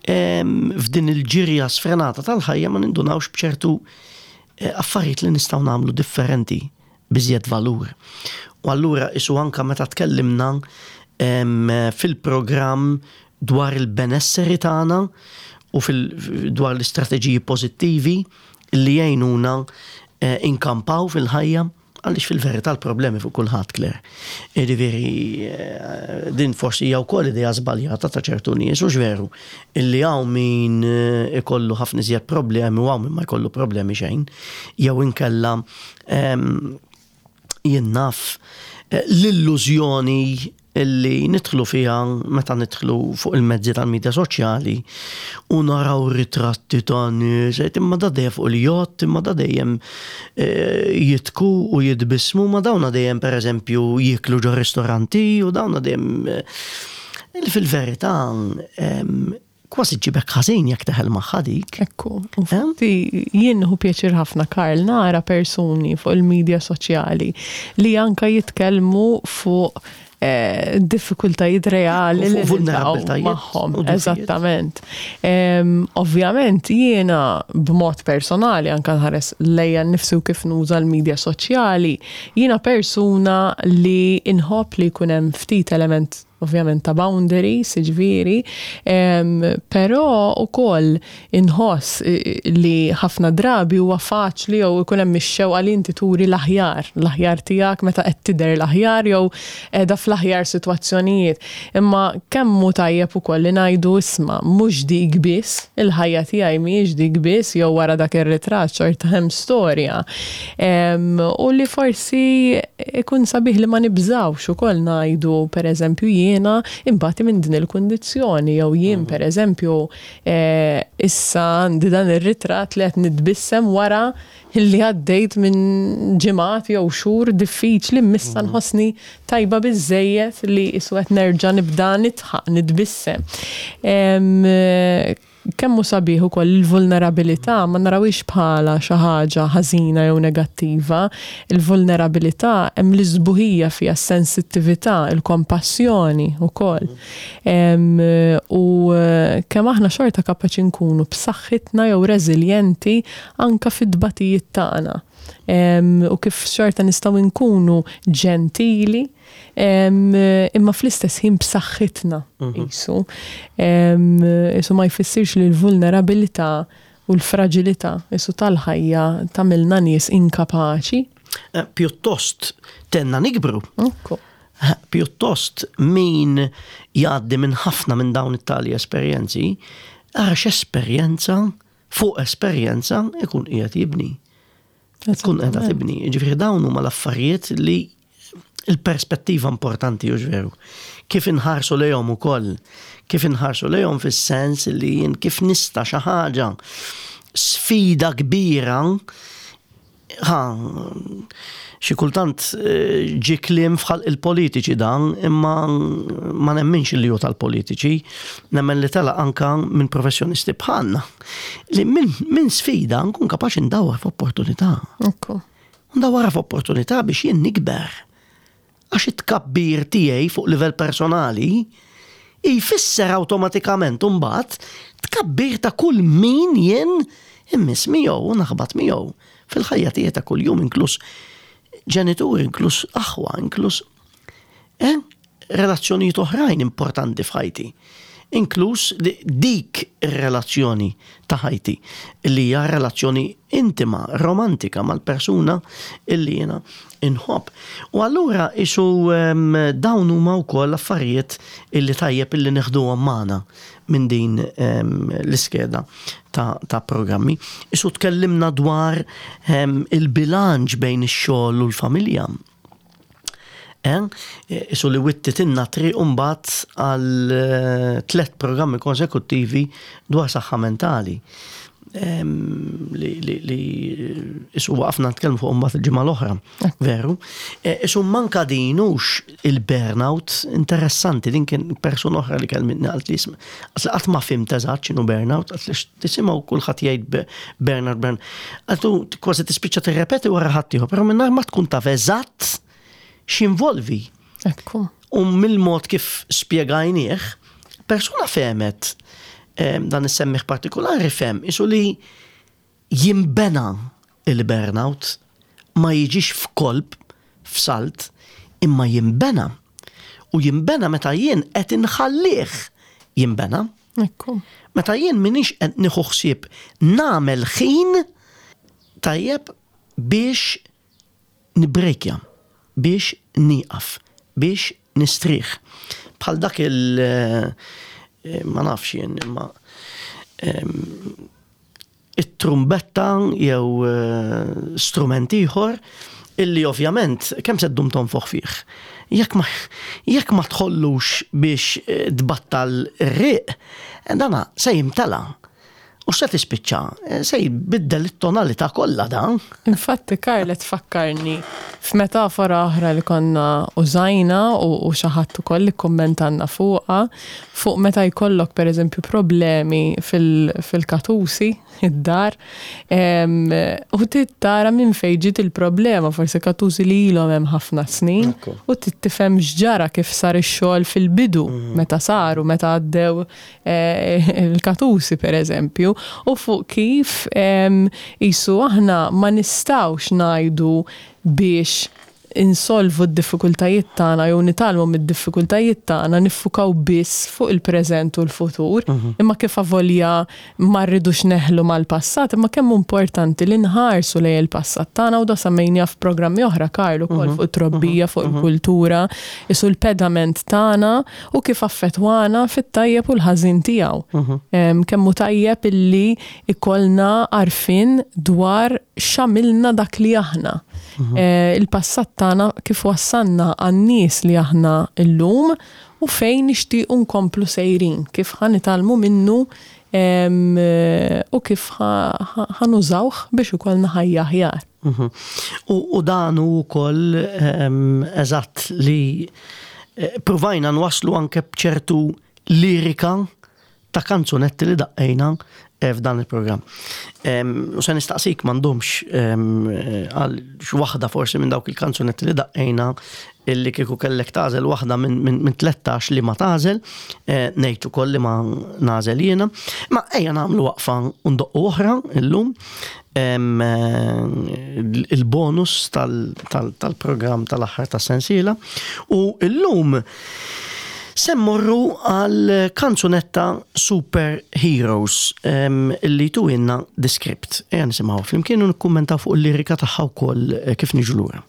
em, f'din il-ġirja sfrenata tal-ħajja, ma nindunawx b'ċertu eh, affarijiet li nistgħu nagħmlu differenti b'iżjed valur. U allura isu anka meta tkellimna em, fil-programm dwar il-benesseri tagħna u fil dwar l-istrateġiji pożittivi li jgħinuna eh, inkampaw fil-ħajja, għaliex fil-verità l-problemi fuq kulħadd, Claire. Jiġifieri eh, din forsi hija wkoll idea żbaljata ta' ċertu nies u veru illi hawn min eh, ikollu ħafna iżjed problemi u hawn min ma jkollu problemi xejn, jew inkella em, jien naf eh, l-illużjoni illi nidħlu fiha meta nidħlu fuq il-mezzi tal-medja soċjali u naraw ritratti ta' nies, imma da dejjem fuq il-jott, imma da dejjem eh, jidħku u jitbissmu, ma dawna dejjem per eżempju jiklu ġo ristoranti u dawna dejjem eh, fil-verità em, Kważi ġibek ħażin jekk teħel magħha dik. Ekku, infatti jien nieħu pjaċir ħafna, Karl, nara persuni fuq il-medja soċjali li anka jitkellmu fuq eh, diffikultajiet reali Fuq li vulnerabbiltajiet magħhom. u dgħufijiet. Eżattament. Em, Ovvjament jiena b'mod personali, anka nħares lejja nnifsi u kif nuża l-medja soċjali, jiena persuna li inħobb li jkun hemm ftit element ovvjament ta' boundaries, ġifieri, em, però ukoll inħoss eh, li ħafna drabi huwa faċli jew ikun hemm ix-xewqa li inti turi l-aħjar, l-aħjar tiegħek meta qed tidher l-aħjar jew qiegħda fl-aħjar sitwazzjonijiet. Imma kemm hu tajjeb ukoll li ngħidu, isma', mhux dik biss, il-ħajja tiegħi mhijiex dik biss, jew wara dak ir-ritratt xorta hemm storja. Em, U li forsi ikun sabiħ li ma nibżawx ukoll ngħidu, pereżempju, jiena imbati minn din il-kundizzjoni jew jien, pereżempju, eh, issa għandi dan ir-ritratt li qed nitbissem wara li għaddejt minn ġimgħat jew xhur diffiċli, missa nħossni tajba biżejjed li isu qed nerġa' nibda nidħaq, nitbissem. Em, Kemm hu sabiħ ukoll il-vulnerabilità ma narawix bħala xi ħaġa ħażina jew negattiva. Il-vulnerabilità hemm l-isbuħija fiha, s-sensittività, il-kompassjoni ukoll. Em, U eh, kemm aħna xorta kapaċi nkunu b'saħħitna jew reżiljenti anka fid-dbatijiet tagħna. Em, U kif xorta nistgħu nkunu ġentili em, imma fl-istess ħin b'saħħitna qisu. Em, Isu ma jfissirx li l-vulnerabilità u l-fragilità isu tal-ħajja tagħmilna nies inkapaċi. Eh, Pjuttost tgħinna nikbru. Ekku. Eh, Pjuttost min jgħaddi minn ħafna minn dawn it-tali esperjenzi, għax esperjenza fuq esperjenza ikun qiegħed jibni. Tkun qiegħda tibni. Ġifieri dawn huma l-affarijiet li il-perspettiva importanti, u veru. Kif inħarsu lejhom ukoll, kif inħarsu lejhom fis-sens li jien kif nista' xi ħaġa sfida kbira, ħa, xi kultant eh, ġi kliem fħal il-politiċi dan, imma ma nemminx li hu tal-politiċi, nemmen li tela anka minn professjonisti bħalna. Li minn min sfida nkun kapaċi ndawar f'opportunità. Ekku. Ndawar f'opportunità biex jien nikber. Għax it-tkabbir tiegħi fuq livell personali jfisser awtomatikament imbagħad tkabbir ta' kull min jien immiss miegħu u naħbat miegħu fil-ħajja tiegħi ta' kuljum, inkluż ġenituri, inkluż aħwa, inkluż eh, relazzjonijiet oħrajn importanti f'ħajti. Inkluż di- dik ir-relazzjoni ta' ħajti li hija relazzjoni intima, romantika mal-persuna illi jiena inħobb. U allura isu em, dawn huma wkoll affarijiet illi tajjeb illi neħduhom magħna minn din em, l-iskeda ta', ta' programmi. Isu tkellimna dwar em, il-bilanċ bejn ix-xogħol u l-familja. Eh? Isu li wittitilna triq mbagħad għal eh, tlet programmi konsekuttivi dwar saħħa mentali. Em, li, li, li isu waqafna nitkellmu fuq mbagħad il-ġimgħa l-oħra, veru. Eh, Isu manka dinux il-burnout interessanti, din kien persuna oħra li kellmitni, qalt li isma', għax qatt ma fhimt eżatt x'inhu burnout, għalt li tisimgħu kulħadd jgħid be- burnout, burnout. Għaltu kważi tispiċċa tirrepeti wara ħaddieħor, però mingħajr ma tkun taf eżatt x'involvi. Ekku. U mill-mod kif spjegajnieh, persuna fehmet, em, dan is-semmiegħ partikolari fehem, isu li jimbena il-burnout, ma jiġix f'kolp, f'salt, imma jimbena. U jimbena meta jien qed inħallih jimbena. Ekku. Meta jien minix qed nieħu ħsieb nagħmel ħin tajjeb biex nibrejkja, biex nieqaf, biex nistrieħ. Bħal dak il- eh, ma nafx jien, imma em, it-trumbetta jew eh, strument ieħor illi ovvjament kemm se ddum tonfoħ fih. Jekk ma, jekk ma tħollux biex eh, tbattal ir-riq, dana se jimtela. U se tispiċċa, eh, se jbiddel it-tonalità kollha dan. Infatti, Karl, tfakkarni f'metafora oħra li konna użajna u, u xi ħadd ukoll li kommentanna fuqha, fuq meta jkollok per eżempju problemi fil- fil-katusi, id-dar, em, u tara minn fejn ġiet il-problema, forsi katusi li ilhom hemm ħafna snin, Ekku. u tifhem x'ġara, kif sar ix-xogħol fil-bidu, meta saru, meta għaddew eh, il-katusi per eżempju, u fuq kif em, jisu aħna ma nistgħux ngħidu biex insolvu d-diffikultajiet tagħna jew nitgħallmu mid-diffikultajiet tagħna niffukaw biss fuq il-preżent u l-futur, imma kif avolja ma rridux neħlu mal-passat, imma kemm importanti li nħarsu lejn il-passat tagħna, u da semmejna f'programmi oħra, Karl, ukoll fuq it-trobbija, fuq il-kultura, isu l-pedament tagħna u kif affettwana fit-tajjeb u l-ħażin tiegħu. Em, Kemm hu tajjeb illi ikollna għarfien dwar x'għamilna dak li aħna. Eh, Il-passat tagħna kif wassalna għan-nies li aħna illum u fejn nixtiequ nkomplu sejrin, kif ħa nitgħallmu minnu em, eh, u kif ħa nużawh biex ikollna ħajja aħjar. Mhm. U, u dan hu wkoll em, eżatt li eh, provajna nwaslu anke bċertu lirika ta' kanzunetti li daqqejna eh, f'dan il-programm. Em, U se nistaqsik m'għandhomx em, eh, għal waħda forsi minn dawk il-kanzunetti li daqqejna illi kieku kellek tagħżel waħda minn min, min tlettax li ma tagħżel, eh, ngħid ukoll li ma nagħżel jiena. Ma ejja nagħmlu waqfa u ndoqqu oħra illum. Em, eh, il-bonus tal-programm tal-aħħar tas-sensiela. U illum se mmorru għal kanzunetta Super Heroes em, illi tuwinna The Script. Ejja nisimgħu flimkien u nikkummentaw fuq il-lirika tagħha wkoll eh, kif niġu lura.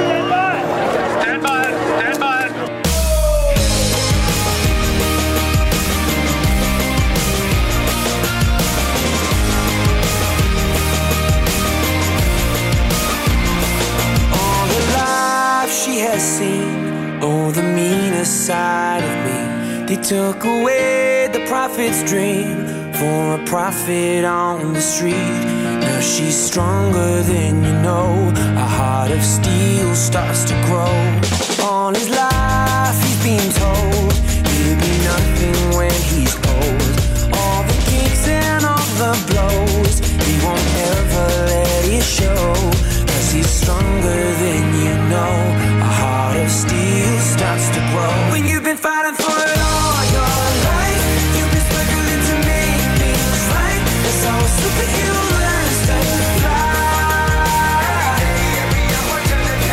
Stand by. Stand by. All the life she has seen, oh, the meanest side of me. They took away the prophet's dream for a prophet on the street. Now she's stronger than you know. A heart of steel starts to grow. All his life he's been told he'll be nothing when he's old. All the kicks and all the blows, he won't ever let it show. 'Cause he's stronger than you know. A heart of steel starts to grow. When you've been fighting for it all your life, you've been struggling to make things right. That's how a superhero learns to fly.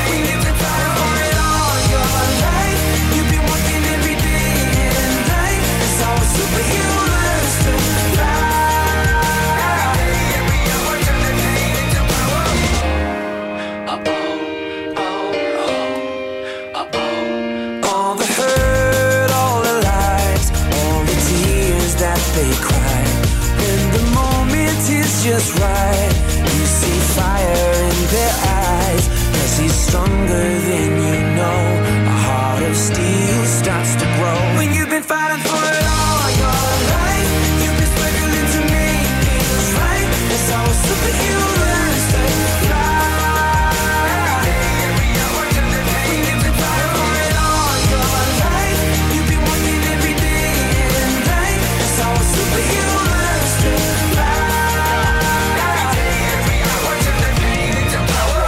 When you've been fighting for it all your life, you've been working every day and night. That's how a superhero learns to fly. All the hurt, all the lies, all the tears that they cry. When the moment is just right, you see fire in their eyes. 'Cause he's stronger than you know. A heart of steel starts to grow. When you've been fighting for it all your life, you've been struggling to make things right. That's how a superhero learns to fly. When you've been fighting for it all your life, you've been working every day and night. That's how a superhero learns to fly. Every hour, turn the pain into power.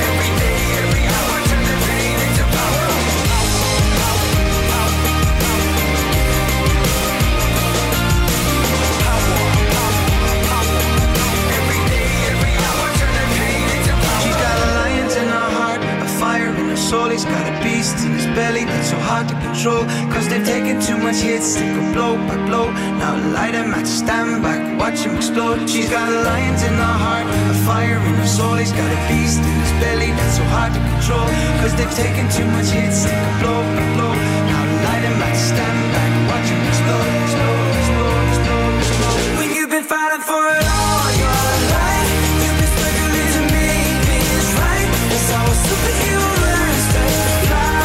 Every day, every hour, turn the pain into power. Every day, every hour, turn the pain into power. She's got a lion in her heart, a fire in her soul. He's got a beast in his belly that's so hard to control. 'Cause they've taken too much hits, take a blow by blow. Now light a match, stand back, watch him explode. She's got a lion in her heart, a fire in her soul. He's got a beast in his belly that's so hard to control. Cause they've taken too much hits, take a blow by blow. Now light a match, stand back, watch him explode, explode, explode, explode, explode. When you've been fighting for it all your life, you've been struggling to make things right. That's how a superhero learns to fly.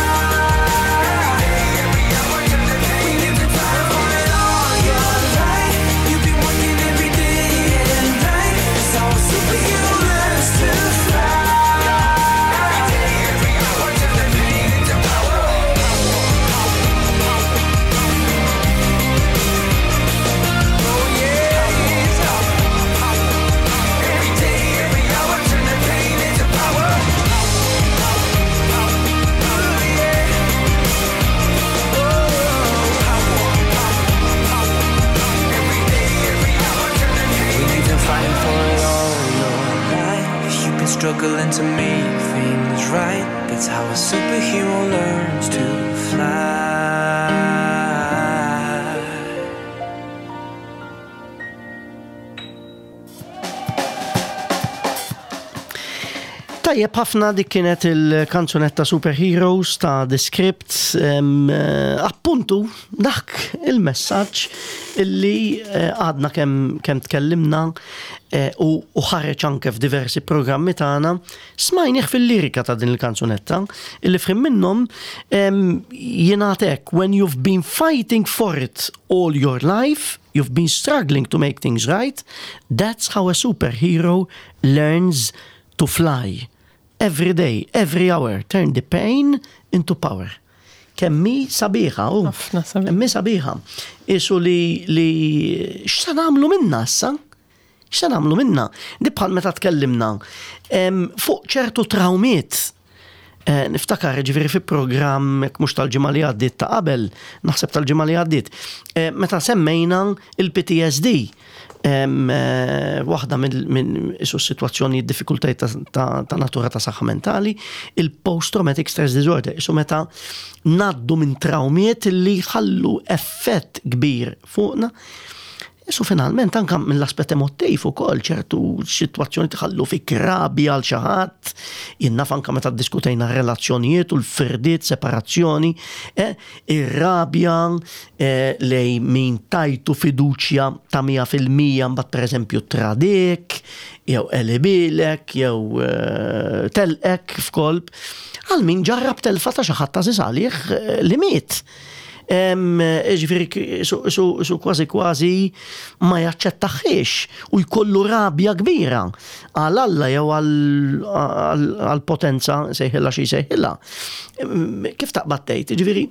When you've been fighting for it all your life, you've been working every day and night. That's how a superhero learns to fly. Every day, every hour, turn the pain into power. Oh yeah, every day, every hour, turn the pain into power. Oh yeah. Every day, every hour, turn the pain. When you've been fighting for it all your life, you've been struggling to make things right. That's how a superhero learns to fly. Tajjeb ħafna dik kienet il-kanzunetta Superheroes ta' The Script, em, eh, appuntu dak il-messaġġ illi eh, għadna kemm kem tkellimna eh, u u ħareġ anke f'diversi programmi tagħna smajnieh fil-lirika ta' din il-kanzunetta illi f'ħin minnhom em, jingħad hekk when you've been fighting for it all your life, you've been struggling to make things right, that's how a superhero learns to fly. Every day, every hour, turn the pain into power. Kemm hi sabiħa, u. Ħafna sabiħa. Kemm hi sabiħa. Isu li, li x'sa nagħmlu minna issa? X'sa nagħmlu minna? Di bħal meta tkellimna em, fuq ċertu traumiet. Eh, niftakar ġifieri fi programm jekk mhux tal-ġimgħa li għaddiet ta' qabel, naħseb tal-ġimgħa li għaddiet, eh, meta semmejna il-P T S D. Em, eh, waħda minn min isu situazzjoni diffikultajiet ta', ta, ta' natura ta' saħħa mentali, il-post-traumatic stress disorder, isu meta ngħaddu minn traumiet li ħallu effett kbir fuqna. Isu finalment anka mill-aspett emotiv ukoll ċertu situazzjoni tħallu fi krabi għal xi ħadd, jien naf anka meta ddiskutejna relazzjonijiet u l-firdiet, separazzjoni, eh, ir-rabja eh, lej min tajtu fiduċja ta' mija fil-mija mbagħad pereżempju tradik, jew qelibilek, jew eh, telqek f'kolb, għal min ġarrab telfa ta' xi ħadd għażiż għalih eh, li miet. Em, Ġifieri, su, su, su kważi kważi ma jaċċettaħiex u jkollu rabja kbira għal Alla jew għal potenza sejħilla xi sejħilla. Em, Kif taqbad tgħid? Ġifieri,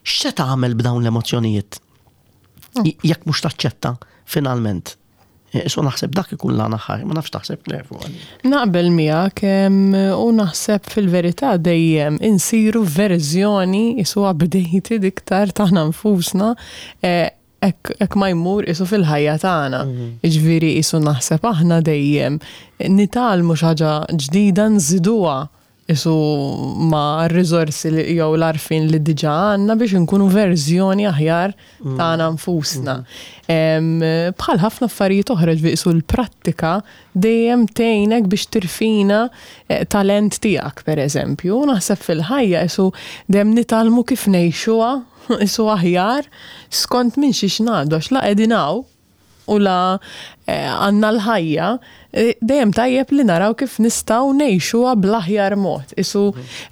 x'se tagħmel b'dawn l-emozzjonijiet? Jekk mhux taċċetta finalment. E, So naħseb dak ikun l aħħar, ma nafx taħseb Claire fuq għalli. Naqbel miegħek em, u naħseb fil-verità dejjem insiru verżjoni isu updated iktar tagħna nfusna eh, hekk hekk ma jmur isu fil-ħajja tagħna. Jiġifieri isu naħseb aħna dejjem nitgħallmu xi ħaġa ġdida nżiduha isu ma' r-riżorsi li jew l-għarfien li diġà għandna biex nkunu verżjoni aħjar tagħna nfusna. Em, Bħal ħafna affarijiet oħra ġifieri isu l-prattika dejjem tgħinek biex tirfina eh, talent tiegħek pereżempju. U naħseb fil-ħajja isu dejjem nitgħallmu kif ngħixuha isu aħjar skont minn xiex ngħaddu għax la qegħdin hawn u la eh, għandna l-ħajja, eh, dejjem tajjeb li naraw kif nistgħu ngħixuha bl-aħjar mod. Isu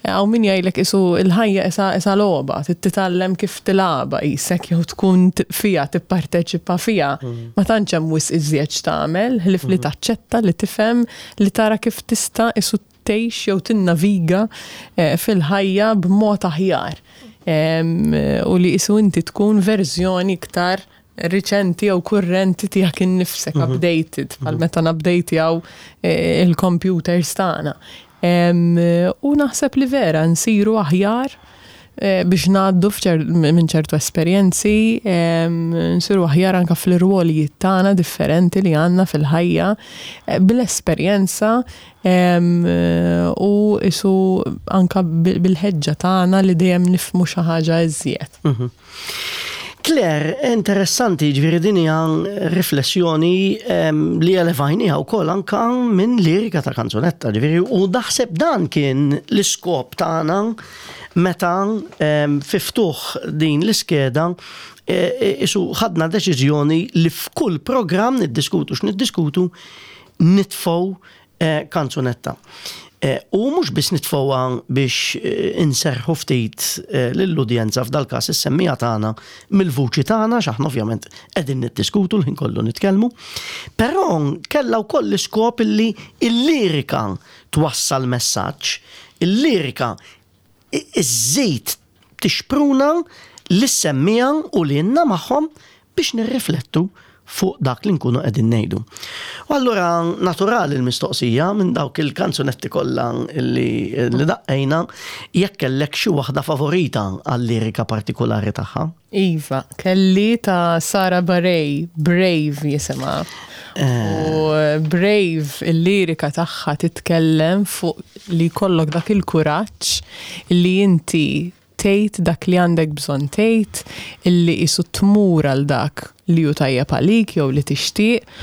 hawn min jgħidlek isu l-ħajja isa isa logħba, trid titgħallem kif tilgħabha isek jew tkun t- fija, tipparteċipa fija. Ma tantx hemm wisq iżjed x'tagħmel, ħlief li taċċetta, li tifhem, li tara kif tista' isu tgħix jew tinnaviga eh, fil-ħajja b'mod aħjar. Em, U li isu inti tkun verżjoni iktar riċenti jew kurrenti tiegħek innifsek, updated, bħal meta nupdatejaw eh, il-computers tagħna. Em, U naħseb li vera nsiru aħjar eh, biex ngħaddu f'ċer- minn ċertu esperjenzi, em, nsiru aħjar anka fl-irwolijiet tagħna differenti li għandna fil-ħajja, eh, bil-esperjenza em, u isu anka bil- bil-ħeġġa tagħna li dejjem nifhmu xi ħaġa iżjed. Mhm. Claire, interessanti, ġifieri din hija riflessjoni em, li elevajniha wkoll anka minn lirika ta' kanzunetta, ġifieri u naħseb dan kien l-iskop tagħna meta em, fi ftuħ din l-iskeda e, e, isu ħadna deċiżjoni li f'kull programm niddiskutu x'niddiskutu nitfgħu eh, kanzunetta. Eh, U mhux biss nitfgħuha biex eh, inserħu ftit eh, lill-udjenza, f'dal każ is-semmiegħa tagħna, mill-vuċi tagħna, x'aħna ovvjament qegħdin niddiskutu l-ħin kollu nitkellmu, però kellha wkoll l-iskop illi il-lirika twassal messaġġ, il-lirika iżżid tixpruna lis-semmiegħa u lilna magħhom biex nirriflettu fuq dak li nkunu qegħdin ngħidu. U allura naturali l-mistoqsija: minn dawk il-kanzunetti kollha li, li daqqejna, jekk kellek xi waħda favorita għal-lirika partikolari tagħha? Iva, kelli ta' Sara Bareilles, "Brave" jisimha. U "Brave", il-lirika tagħha titkellem fuq li jkollok dak il-kuraġġ li inti tgħid dak li għandek bżonn tgħid, illi isu tmur għal dak li hu tajjeb għalik jew li tixtieq.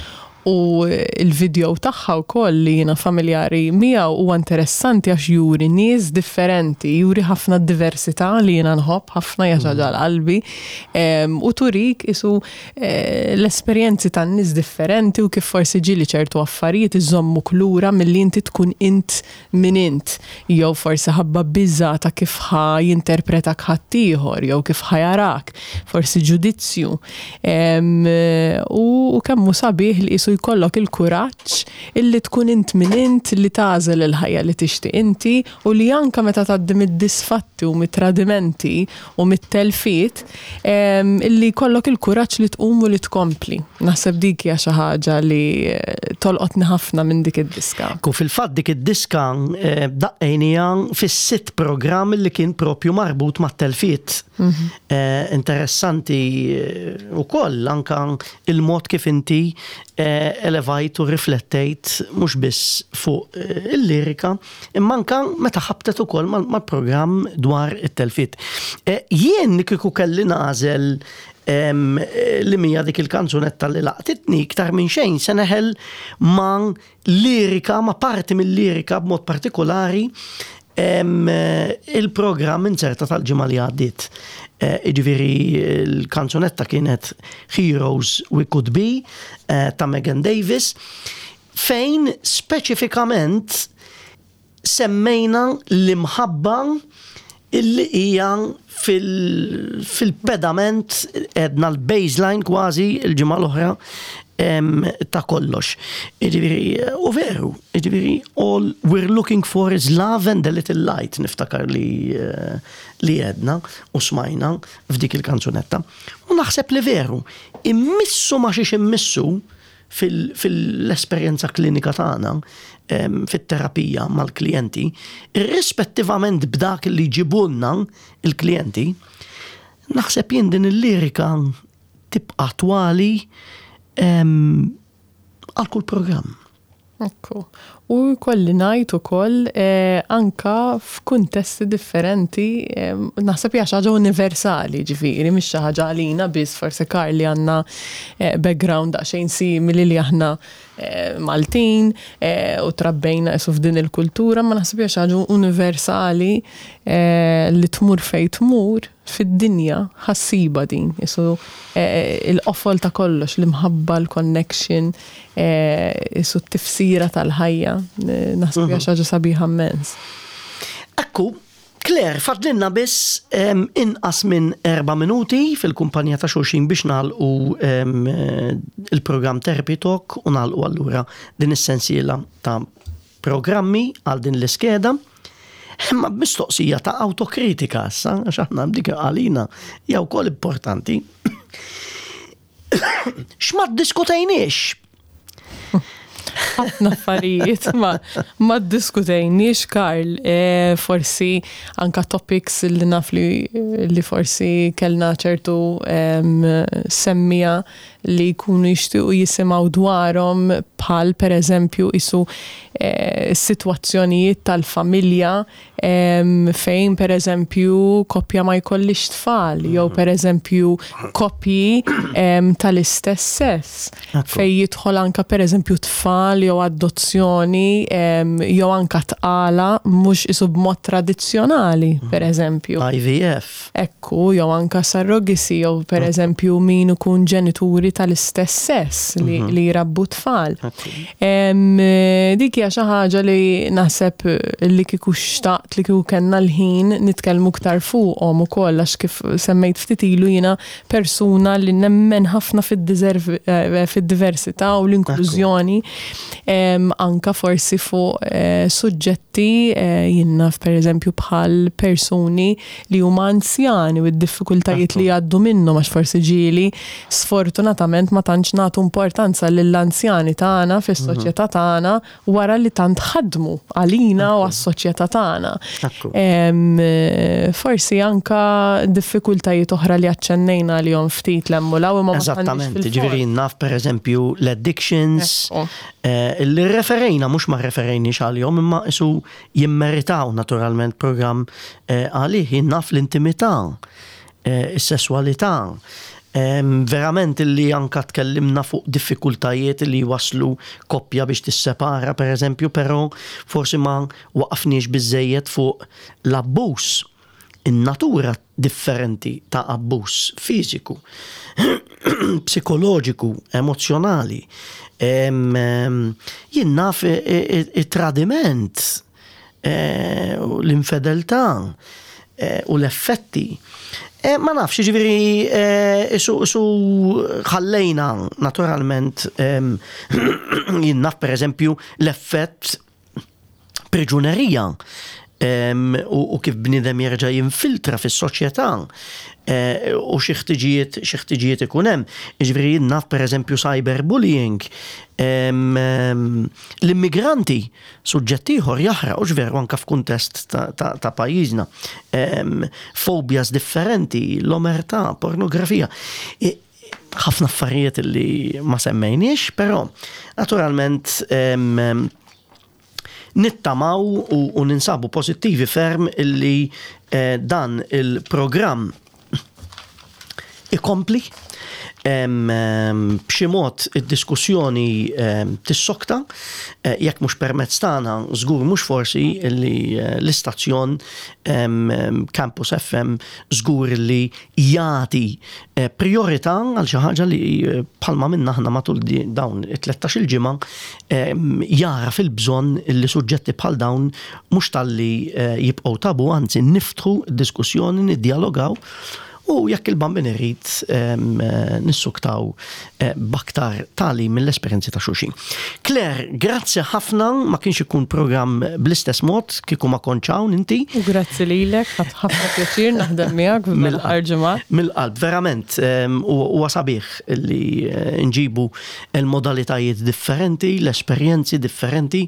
U il-video tagħha wkoll, li jiena familjari miegħu, huwa interessanti għax juri nies differenti, juri ħafna diversità li jiena nħobb ħafna, hija ħaġa l-qalbi. Em, u turik isu eh, l-esperjenzi tan nies differenti u kif forsi ġieli ċertu affarijiet iżommuk lura milli inti tkun int min int, jew forsi ħabba biża ta' kif ħa jinterpretak ħaddieħor jew kif ħa jarak, forsi ġudizzju. Em, U, u kemm hu sabiħ li isu jkollok il-kuraġġ illi tkun int min int, li tagħżel il-ħajja li tixtieq inti u li anka meta tgħaddi mid-disfatti u mit-tradimenti u mit-telfiet em, illi jkollok il-kuraġġ li tqum u li tkompli. Naħseb dik hija xi ħaġa li eh, tolqotni ħafna minn dik id-diska. Ku fil-fatt dik id-diska eh, daqqejnija fis-sitt programm li kien propju marbut mat-telfiet. Eh, interessanti eh, ukoll anka il-mod kif inti eh, elevajt u riflettejt mhux biss fuq eh, il-lirika, imma anka meta ħabtet ukoll mal- mal-programm dwar it-telfiet. Eh, Jien kieku kelli nagħżel em, eh, li mija dik il-kanzunetta li laqtitni iktar minn xejn, se neħel ma' lirika, ma' parti mill-lirika b'mod partikolari em, eh, il-programm inzerta tal-ġimgħa li għaddiet. Eh, Iġifieri il-kanzunetta kienet "Heroes We Could Be" eh, ta' Megan Davis, fejn speċifikament semmejna l-imħabba illi hija fil- fil-pedament, edna l-baseline kważi il-ġimgħa l-oħra em, ta' kollox. Jiġifieri, u veru, jiġifieri, "All we're looking for is love and a little light", niftakar li, eh, li jedna u smajna f'dik il-kanzunetta. U naħseb li veru, immissu ma xiex immissu fil- fil-esperjenza klinika tagħna em, fit-terapija mal-klijenti, irrispettivament b'dak li jġibulna il-klijenti, naħseb jien din il-lirika tibqa' attwali em, għal kull programm. Ekku. U kolli ngħid ukoll eh, anka f'kuntesti differenti, eh, naħseb hija xi ħaġa universali, ġifieri, mhix xi ħaġa għalina biss, forsi Karl li għandna eh, background daqsxejn simili, li aħna eh, Maltin eh, u trabbejna isu f'din il-kultura, ma naħseb hija xi ħaġa universali eh, li tmur fejn tmur fid-dinja ħa ssibha din. Isu eh, il-qofol ta' kollox, l-imħabba, l-connection, eh, isu t-tifsira tal-ħajja. Eh, Naħseb hija xi ħaġa sabiħa immens. Ekku, Claire, fadlinna biss em, inqas minn erba' minuti fil-kumpanija ta' xulxin biex nagħlqu em, eh, il-programm Therapy Talk u nagħlqu allura din is-sensiela ta' programmi għal din l-iskeda. Imma mistoqsija ta' autokritika issa, għax aħna dik għalina hija wkoll importanti. X'ma ddiskutejniex? Ħafna affarijiet ma, ma ddiskutejniex, Karl, e, forsi anka topics li naf li, li forsi kellna ċertu em, semmiegħa li jkunu jixtiequ jisimgħu dwarhom, bħal per eżempju isu e, situazzjonijiet tal-familja Em, fejn per eżempju koppja ma jkollix tfal, jew per eżempju koppji em, tal-istess sess, Ekku. fej jidħol anka per eżempju tfal jew adozzjoni em, jew anka tqala mhux isu b'mod tradizzjonali, per eżempju. I V F. Ekku, jew anka surrogacy, jew per eżempju min ikun ġenituri tal-istess sess li, li jrabbu tfal. Em, eh, dik hija xi ħaġa li naħseb li kieku xtaqt li kieku kellna l-ħin nitkellmu iktar fuqhom ukoll, għax kif semmejt ftit ilu, jiena persuna li nemmen ħafna fid-diserv- eh, fid-diversità u l-inklużjoni, em, anka forsi fuq eh, suġġetti eh, jien naf, per eżempju, bħal persuni li huma anzjani u d-diffikultajiet li jgħaddu minnhom, għax forsi ġieli sfortunatament ma tantx nagħtu importanza lill-anzjani tagħna fis-soċjetà tagħna wara li tant ħadmu għalina u għas-soċjetà tagħna. Ekku. Em, eh, Forsi anka diffikultajiet oħra li aċċennejna li jom ftit l-emmulaw imma ma tantx Eżattament, fil-fond. Ġifieri naf, per eżempju, l-addictions, Ekku. eh, li referejna, mhux ma referejniex għalihom, imma isu jimmeritaw naturalment program eh, għalih, naf l-intimità, eh, is-sessualità. Em, verament illi anka tkellimna fuq diffikultajiet li waslu koppja biex tissepara, per eżempju, però forsi ma waqafniex biżejjed fuq l-abbuż, in-natura differenti ta' abbuż fiżiku, psikoloġiku, emozjonali. Em, em, Jien naf i- i- it-tradiment, eh, u l-infedeltà eh, u l-effetti. Eh, Ma nafx, ġifieri, eh, su, su ħallejna naturalment, em, jien naf, per eżempju, l-effett priġunerija em, u, u kif bniedem jerġa' jinfiltra fis-soċjetà eh, u xi ħtiġijiet xi ħtiġijiet ikun hemm. Jiġifieri jien naf, per eżempju, cyberbullying, em, em, l-immigranti, suġġett ieħor jaħraq, u veru anka f'kuntest ta', ta, ta' pajjiżna. Em, Fobias differenti, l-omertà, pornografija. E, ħafna affarijiet li ma semmejniex, però naturalment em, em, nittamaw u, u ninsabu pozittivi ferm illi eh, dan il-programm ikompli em, em, b'xi mod id-diskussjoni em, tissokta, eh, jekk mhux permezz tagħna, żgur mhux forsi illi eh, l-istazzjon em, em, Campus F M żgur li jagħti eh, priorità għal xi ħaġa li eh, bħalma minna aħna matul di- dawn it-tlettax-il ġimgħa em, jara fil-bżonn li suġġetti bħal dawn mhux talli eh, jibqgħu tabu, anzi niftħu diskussjoni, niddialogaw u jekk il-Bambin irid em, eh, nissuktaw eh, b'aktar tali mill-esperjenzi ta' xulxin. Claire, grazzi ħafna, ma kienx ikun programm bl-istess mod kieku ma kontx hawn inti. U grazzi lilek, ħadt ħafna pjaċir naħdem miegħek f'dan l-aħħar ġimgħat. Mill-qalb, verament, em, u huwa sabiħ li eh, nġibu il-modalitajiet differenti, l-esperjenzi differenti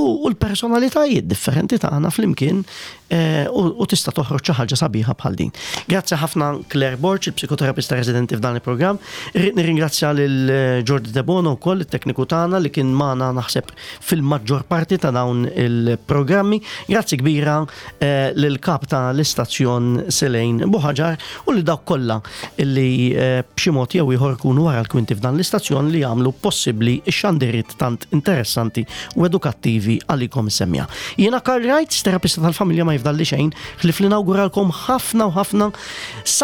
u u l-personalitajiet differenti tagħna flimkien eh, u u tista' toħroġ xi ħaġa sabiħa bħal din. Grazzi ħafna, Claire Borg, il-psikoterapista residenti f'dan il-programm. Irrid nirringrazzja lil eh, Jordi Debono wkoll, it-tekniku tagħna li kien magħna naħseb fil-maġġor parti ta' dawn il-programmi. Grazzi kbira eh, lil kap ta' l-istazzjon Selejn Buħaġar u li dawk kollha illi eh, b'xi mod jew ieħor ikunu wara l-kwinti f'dan l-istazzjon li jagħmlu possibbli x-xandiriet tant interessanti u edukattivi għalikom semmija. Jiena Karl Wright, terapista tal-familja, ma jifdalli xejn ħlief li nawguralkom ħafna u ħafna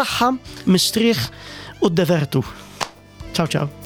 saħħa, mistrieħ u divertu. Ciao ciao.